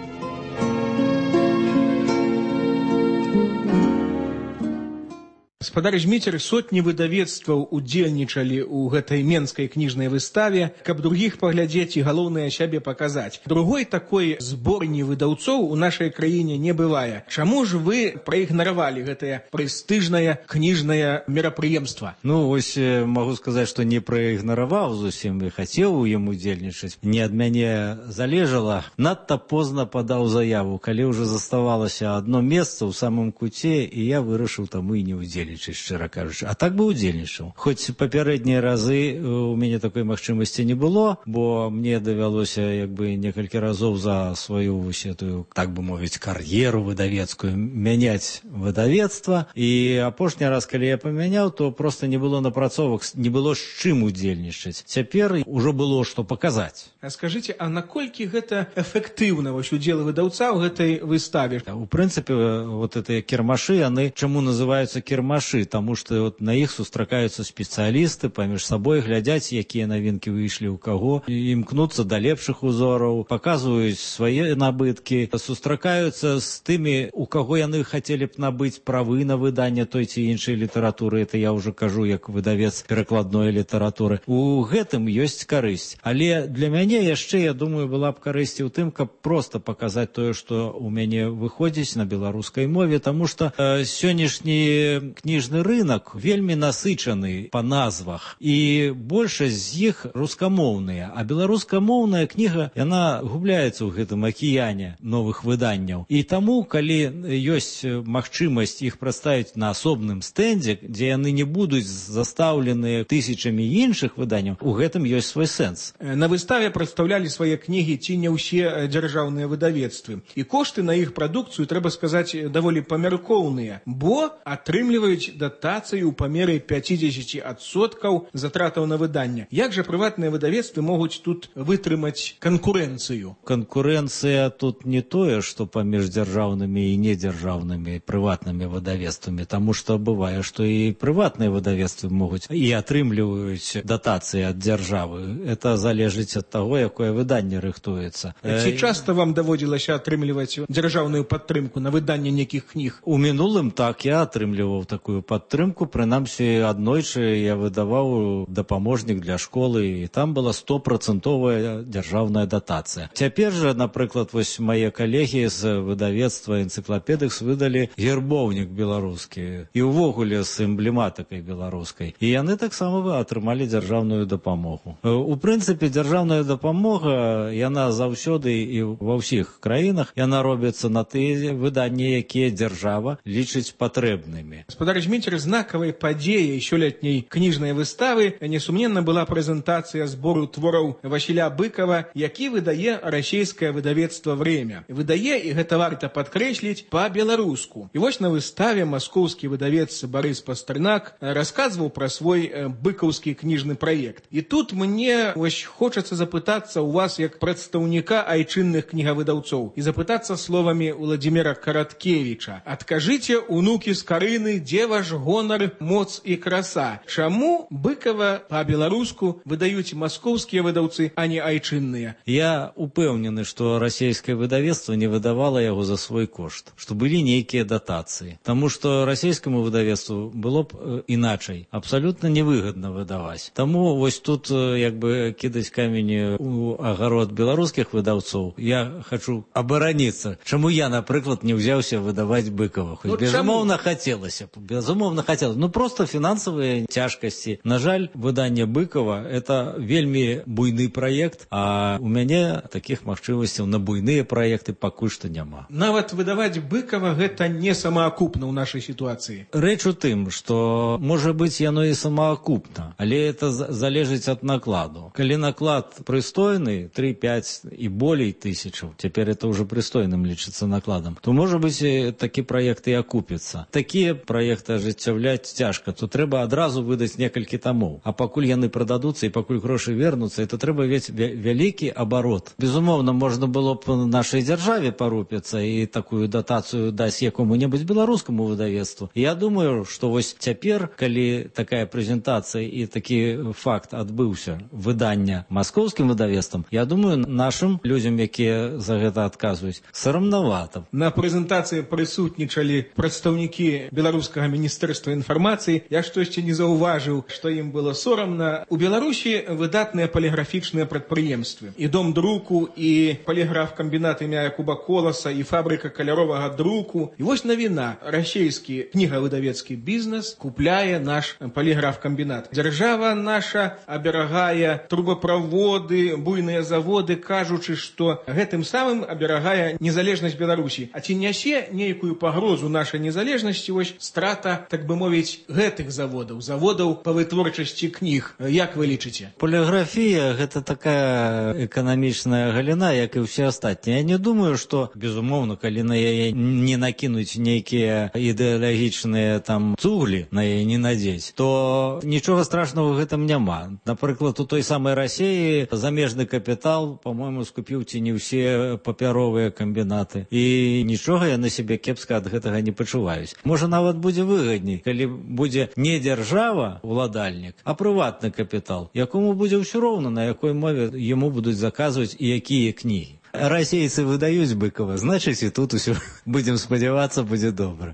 R: Гаспадар Зміцер, сотні выдавецтваў удзельнічалі ў гэтай менскай кніжнай выставе, каб другіх паглядзець і галоўнае сябе паказаць. Другой такой зборні выдаўцоў у нашай краіне не бывае. Чаму ж вы праігнаравалі гэтае прэстыжнае кніжнае мерапрыемства?
S: Ну, вось магу сказаць, што не праігнараваў зусім і хацеў у ім удзельнічаць. Не ад мяне залежала. Надта позна падаў заяву, калі ўжо заставалася адно месца ў самым куце, і я вырашыў таму і не удзельнічаць, шчыра кажучы. А так бы удзельнічаў. Хоць папярэднія разы у мяне такой магчымасці не было, бо мне давялося як бы некалькі разоў за сваю вось эту, так бы мовіць, кар'еру выдавецкую мяняць выдавецтва. І апошні раз, калі я памяняў, то проста не было напрацовак, не было з чым удзельнічаць. Цяпер ужо было што паказаць.
R: А скажыце, а наколькі гэта эфектыўна вось удзел выдаўца ў гэтай выставе?
S: У прынцыпе, вот гэтыя кірмашы, яны чаму называюцца кірмашы? Таму што вот на іх сустракаюцца спецыялісты, паміж сабой глядзяць, якія навінкі выйшлі ў каго, імкнуцца да лепшых узораў, паказваюць свае набыткі, сустракаюцца з тымі, у каго яны хацелі б набыць правы на выданне той ці іншай літаратуры. Это я ўжо кажу як выдавец перакладной літаратуры. У гэтым ёсць карысць. Але для мяне яшчэ, я думаю, была б карысць у тым, каб проста паказаць тое, што ў мяне выходзіць на беларускай мове, таму што сённяшні кніжны рынок вельмі насычаны па назвах, і большасць з іх рускамоўныя, а беларускамоўная кніга, яна губляецца ў гэтым акіяне новых выданняў. І таму, калі ёсць магчымасць іх прадставіць на асобным стэндзе, дзе яны не будуць застаўленыя тысячамі іншых выданняў, у гэтым ёсць свой сэнс.
R: На выставе прадстаўлялі свае кнігі ці не ўсе дзяржаўныя выдавецтвы. І кошты на іх прадукцыю, трэба сказаць, даволі памяркоўныя, бо атрымліваюць атрымліваюць датацыю ў памеры 50% затратаў на выданне. Як жа прыватныя выдавецтвы могуць тут вытрымаць канкурэнцыю?
S: Канкурэнцыя тут не тое, што паміж дзяржаўнымі і недзяржаўнымі прыватнымі выдавецтвамі, таму што бывае, што і прыватныя выдавецтвы могуць і атрымліваюць датацыі ад дзяржавы. Это залежыць ад таго, якое выданне рыхтуецца.
R: Ці часта вам даводзілася атрымліваць дзяржаўную падтрымку на выданне нейкіх кніг?
S: У мінулым так, я атрымліваў такую падтрымку, прынамсі аднойчы я выдаваў дапаможнік для школы, і там была 100% дзяржаўная датацыя. Цяпер жа, напрыклад, вось мае калегі з выдавецтва энцыклапедыкс выдалі гербоўнік беларускі і ўвогуле з эмблематыкай беларускай. І яны таксама атрымалі дзяржаўную дапамогу. У прынцыпе, дзяржаўная дапамога, яна заўсёды і ва ўсіх краінах, яна робіцца на тыя выданні, якія дзяржава лічыць патрэбнымі.
R: Гаспадар Зміцер, знакавай падзеяй сёлетняй кніжнай выставы несумненна была прэзентацыя збору твораў Васіля Быкова, які выдае расійскае выдавецтва «Время». Выдае, і гэта варта падкрэсліць, па-беларуску. І вось на выставе маскоўскі выдавец Барыс Пастарнак расказваў пра свой быкаўскі кніжны праект. І тут мне вось хочацца запытацца у вас як прадстаўніка айчынных кнігавыдаўцоў і запытацца словамі Владзіміра Караткевіча. Адкажыце, унукі з Карыны, дзе ваш гонар, моц і краса? Чаму Быкава па-беларуску выдаюць маскоўскія выдаўцы, а не айчынныя?
S: Я упэўнены, што расійскае выдавецтва не выдавала яго за свой кошт, што былі нейкія датацыі. Таму што расійскаму выдавецтву было б іначай, абсалютна невыгадна выдаваць. Таму вось тут як бы кідаць камень у агарод беларускіх выдаўцоў. Я хачу абараніцца. Чаму я, напрыклад, не ўзяўся выдаваць Быкова? Хоць безумоўна хацелася. Безумоўна хацелася. Ну проста фінансавыя цяжкасці. На жаль, выданне Быкова — это вельмі буйны праект, а у мяне такіх магчымасцяў на буйныя праекты пакуль што няма.
R: Нават выдаваць Быкова гэта не самаакупна ў нашай сітуацыі.
S: Рэч у тым, што можа быць яно і самаакупна, але это залежыць ад накладу. Калі наклад прыстойны, 3-5 і болей тысячаў, цяпер это ўжо прыстойным лічыцца накладам, то можа быць такі праект і акупіцца. Такія праекты ажыццяўляць цяжка, то трэба адразу выдаць некалькі тамоў. А пакуль яны прададуцца і пакуль грошы вернуцца, это трэба весь вялікі абарот. Безумоўна, можна было б нашай дзяржаве парупіцца і такую датацыю даць якому-небудзь беларускаму выдавецтву. Я думаю, што вось цяпер, калі такая прэзентацыя і такі факт адбыўся выдання маскоўскім выдавецтвам, я думаю, нашым людзям, якія за гэта адказваюць, сарамнавата.
R: На прэзентацыі прысутнічалі прадстаўнікі беларускага міністэрства інфармацыі. Я штосьці не заўважыў, што ім было сорамна. У Беларусі выдатныя паліграфічныя прадпрыемствы. І дом друку, і паліграф-камбінат імя Якуба Коласа, і фабрыка каляровага друку. І вось навіна. Расійскі кнігавыдавецкі бізнес купляе наш паліграф-камбінат. Дзяржава наша аберагае трубаправоды, буйныя заводы, кажучы, што гэтым самым аберагае незалежнасць Беларусі. А ці нясе нейкую пагрозу нашай незалежнасці вось страта, так бы мовіць, гэтых заводаў па вытворчасці кніг? Як вы лічыце?
S: Поліграфія — гэта такая эканамічная галіна, як і ўсе астатнія. Я не думаю, што, безумоўна, калі на яе не накінуць нейкія ідэалагічныя там цуглі, на яе не надзець, то нічога страшного ў гэтым няма. Напрыклад, у той самай Расіі замежны капітал, по-моему, скупіў ці не ўсе папяровыя камбінаты. І нічога яны сябе кепска ад гэтага не пачуваюць. Можа, нават будзе выгадней, калі будзе не дзяржава, уладальнік, а прыватны капітал, якому будзе ўсё роўна, на якой мове яму будуць заказваць і якія кнігі. Расейцы выдаюць Быкова, значыць, і тут усё, будзем спадзявацца, будзе добра.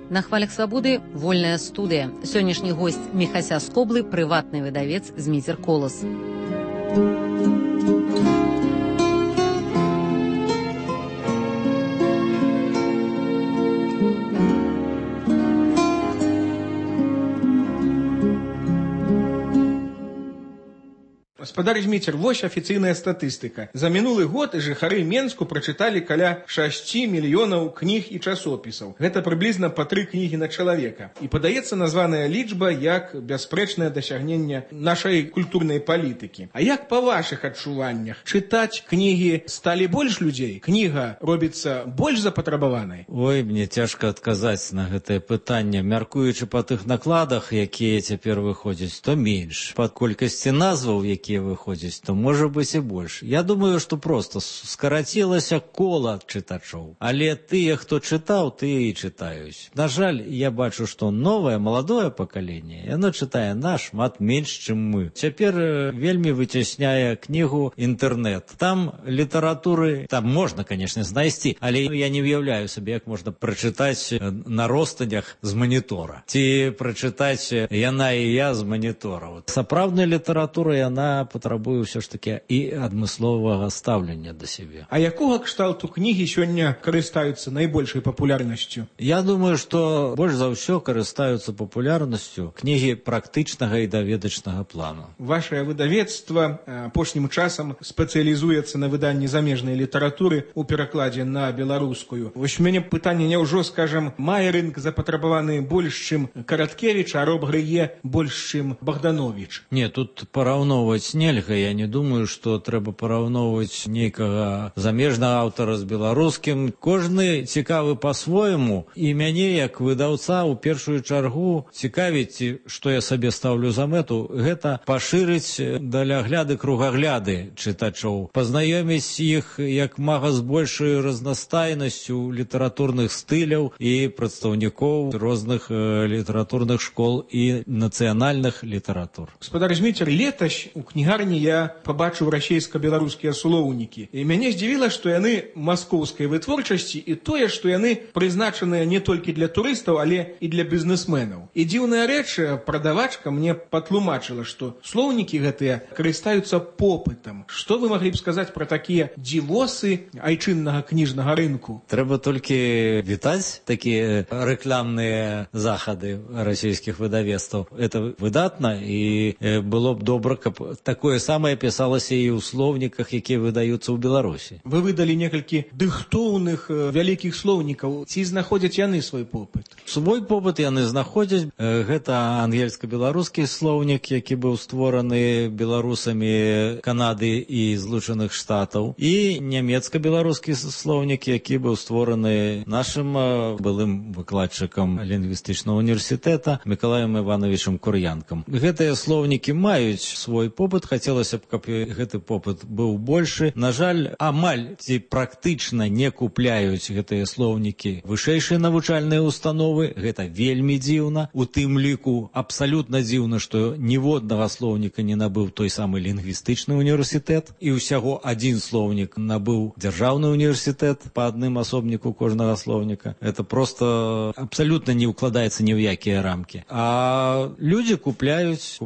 P: На хвалях свабоды вольная студыя. Сённяшні госць Міхася Скоблы, прыватны выдавец Зміцер Колас.
R: Спадар Зміцер, вось афіцыйная статыстыка. За мінулы год жыхары Менску прачыталі каля 6 мільёнаў кніг і часопісаў. Гэта прыблізна па 3 кнігі на чалавека. І падаецца названая лічба як бясспрэчнае дасягненне нашай культурнай палітыкі. А як па вашых адчуваннях? Чытаць кнігі сталі больш людзей? Кніга робіцца больш запатрабаванай?
S: Ой, мне цяжка адказаць на гэтае пытанне. Мяркуючы па тых накладах, якія цяпер выходзяць, то менш. Па колькасці назваў, якія выходзяць, то можа быць і больш. Я думаю, што проста скарацілася кола чытачоў. Але тыя, хто чытаў, тыя і чытаюць. На жаль, я бачу, што новае, маладое пакаленне, яно чытае нашмат менш, чым мы. Цяпер вельмі выцясняе кнігу інтэрнэт. Там літаратуры, там можна, канешне, знайсці, але я не уяўляю сабе, як можна прачытаць на ростанях з манітора. Ці прачытаць «Яна і я» з манітора. Сапраўдная літаратура, яна патрабуе ўсё ж такі і адмысловага стаўлення да сябе.
R: А якога кшталту кнігі сёння карыстаюцца найбольшай папулярнасцю?
S: Я думаю, што больш за ўсё карыстаюцца папулярнасцю кнігі практычнага і даведачнага плану.
R: Вашае выдавецтва апошнім часам спецыялізуецца на выданні замежнай літаратуры ў перакладзе на беларускую. Вось у мяне пытанне, няўжо, скажам, мае рынк запатрабаваны больш, чым Караткевіч, а Роб Грые больш, чым Богданович?
S: Не, тут параўноўваць нельга. Я не думаю, што трэба параўноўваць нейкага замежнага аўтара з беларускім. Кожны цікавы па-свойму, і мяне, як выдаўца, у першую чаргу цікавіць, што я сабе стаўлю за мэту, гэта пашырыць далягляды, кругагляды чытачоў, пазнаёміць іх як мага з большай разнастайнасцю літаратурных стыляў і прадстаўнікоў розных літаратурных школ і нацыянальных літаратур.
R: Спадар Зміцер, летась у кнігарні я пабачыў расейска-беларускія слоўнікі. І мяне здзівіла, што яны маскоўскай вытворчасці і тое, што яны прызначаныя не толькі для турыстаў, але і для бізнесменаў. І дзіўная рэч, прадавачка мне патлумачыла, што слоўнікі гэтыя карыстаюцца попытам. Што вы маглі б сказаць пра такія дзівосы айчыннага кніжнага рынку?
S: Трэба толькі вітаць такія рэкламныя захады расійскіх выдавецтваў. Это выдатна, і было б добра, каб такое самае пісалася і ў слоўніках, якія выдаюцца ў Беларусі.
R: Вы выдалі некалькі дыхтоўных вялікіх слоўнікаў. Ці знаходзяць яны свой попыт?
S: Свой попыт яны знаходзяць. Гэта ангельска-беларускі слоўнік, які быў створаны беларусамі Канады і Злучаных Штатаў, і нямецка-беларускі слоўнік, які быў створаны нашым былым выкладчыкам лінгвістычнага універсітэта Мікалаем Івановичам Кур'янкам. Гэтыя слоўнікі маюць свой попыт, хацелася б, каб гэты попыт быў большы. На жаль, амаль ці практычна не купляюць гэтыя слоўнікі вышэйшыя навучальныя установы. Гэта вельмі дзіўна. У тым ліку абсалютна дзіўна, што ніводнага слоўніка не набыў той самы лінгвістычны універсітэт, і ўсяго адзін слоўнік набыў дзяржаўны універсітэт па адным асобніку кожнага слоўніка. Это просто абсалютна не ўкладаецца ні ў якія рамкі. А людзі купляюць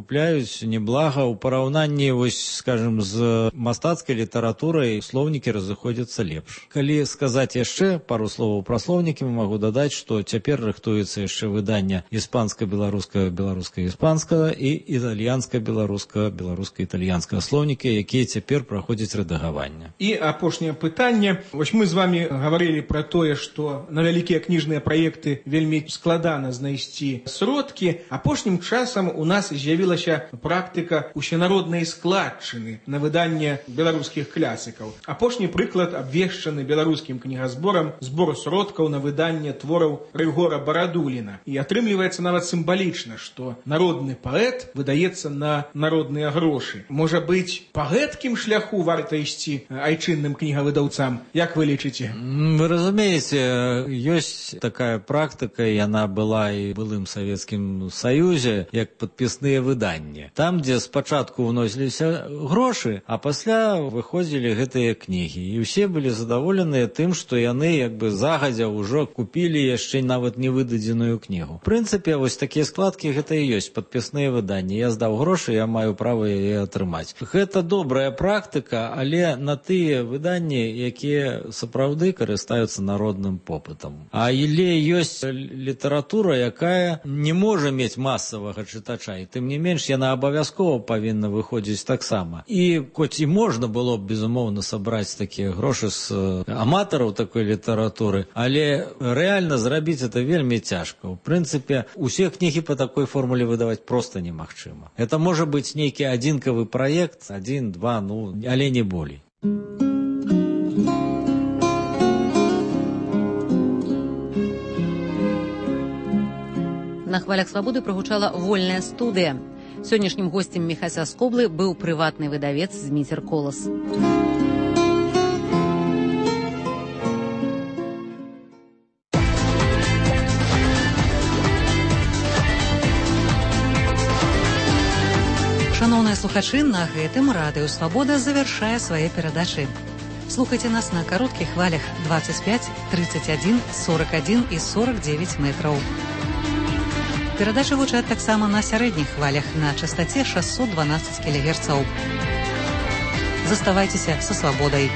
S: неблага. У параўнанні, вось, скажем, з мастацкай літаратурай слоўнікі разыходзяцца лепш. Калі сказаць яшчэ пару словаў пра слоўнікі, магу дадаць, што цяпер рыхтуецца яшчэ выданне іспанска-беларускага, беларуска-іспанскага і італьянска-беларускага, беларуска-італьянскага слоўнікі, якія цяпер праходзяць рэдагаванне.
R: І апошняе пытанне. Вось мы з вами гаварылі пра тое, што на вялікія кніжныя праекты вельмі складана знайсці сродкі. Апошнім часам у нас з'явілася практыка усенароднай складчыны на выданне беларускіх класікаў. Апошні прыклад абвешчаны беларускім кнігазборам збор сродкаў на выданне твораў Рыгора Барадуліна. І атрымліваецца нават сімвалічна, што народны паэт выдаецца на народныя грошы. Можа быць, па гэткім шляху варта ісці айчынным кнігавыдаўцам? Як вы лічыце?
S: Вы разумееце, ёсць такая практыка, яна была і былым Савецкім Саюзе, як падпісныя выданні. Там, дзе спачатку вносіліся грошы, а пасля выходзілі гэтыя кнігі. І ўсе былі задаволеныя тым, што яны як бы загадзя ўжо купілі яшчэ нават не выдадзеную кнігу. В прынцыпе, вось такія складкі гэта і ёсць падпісныя выданні. Я здаў грошы, я маю права яе атрымаць. Гэта добрая практыка, але на тыя выданні, якія сапраўды карыстаюцца народным попытам. Але ёсць літаратура, якая не можа мець масавага чытача, і тым не менш яна абавязкова павінна выходзіць выходзіць таксама. І хоць і можна было б, безумоўна, сабраць такія грошы з аматараў такой літаратуры, але рэальна зрабіць это вельмі цяжка. У прынцыпе, усе кнігі па такой формуле выдаваць проста немагчыма. Это можа быць нейкі адзінкавы праект, 1-2, але не болей.
P: На хвалях свабоды прагучала вольная студыя. Сённяшнім госцем Міхася Скоблы быў прыватны выдавец Зміцер Колас. Шановныя слухачы, на гэтым радыё «Свабода» завяршае свае перадачы. Слухайце нас на кароткіх хвалях 25, 31, 41 і 49 метраў. Перадачы гучаць таксама на сярэдніх хвалях на частаце 612 кГц. Заставайцеся са свабодай.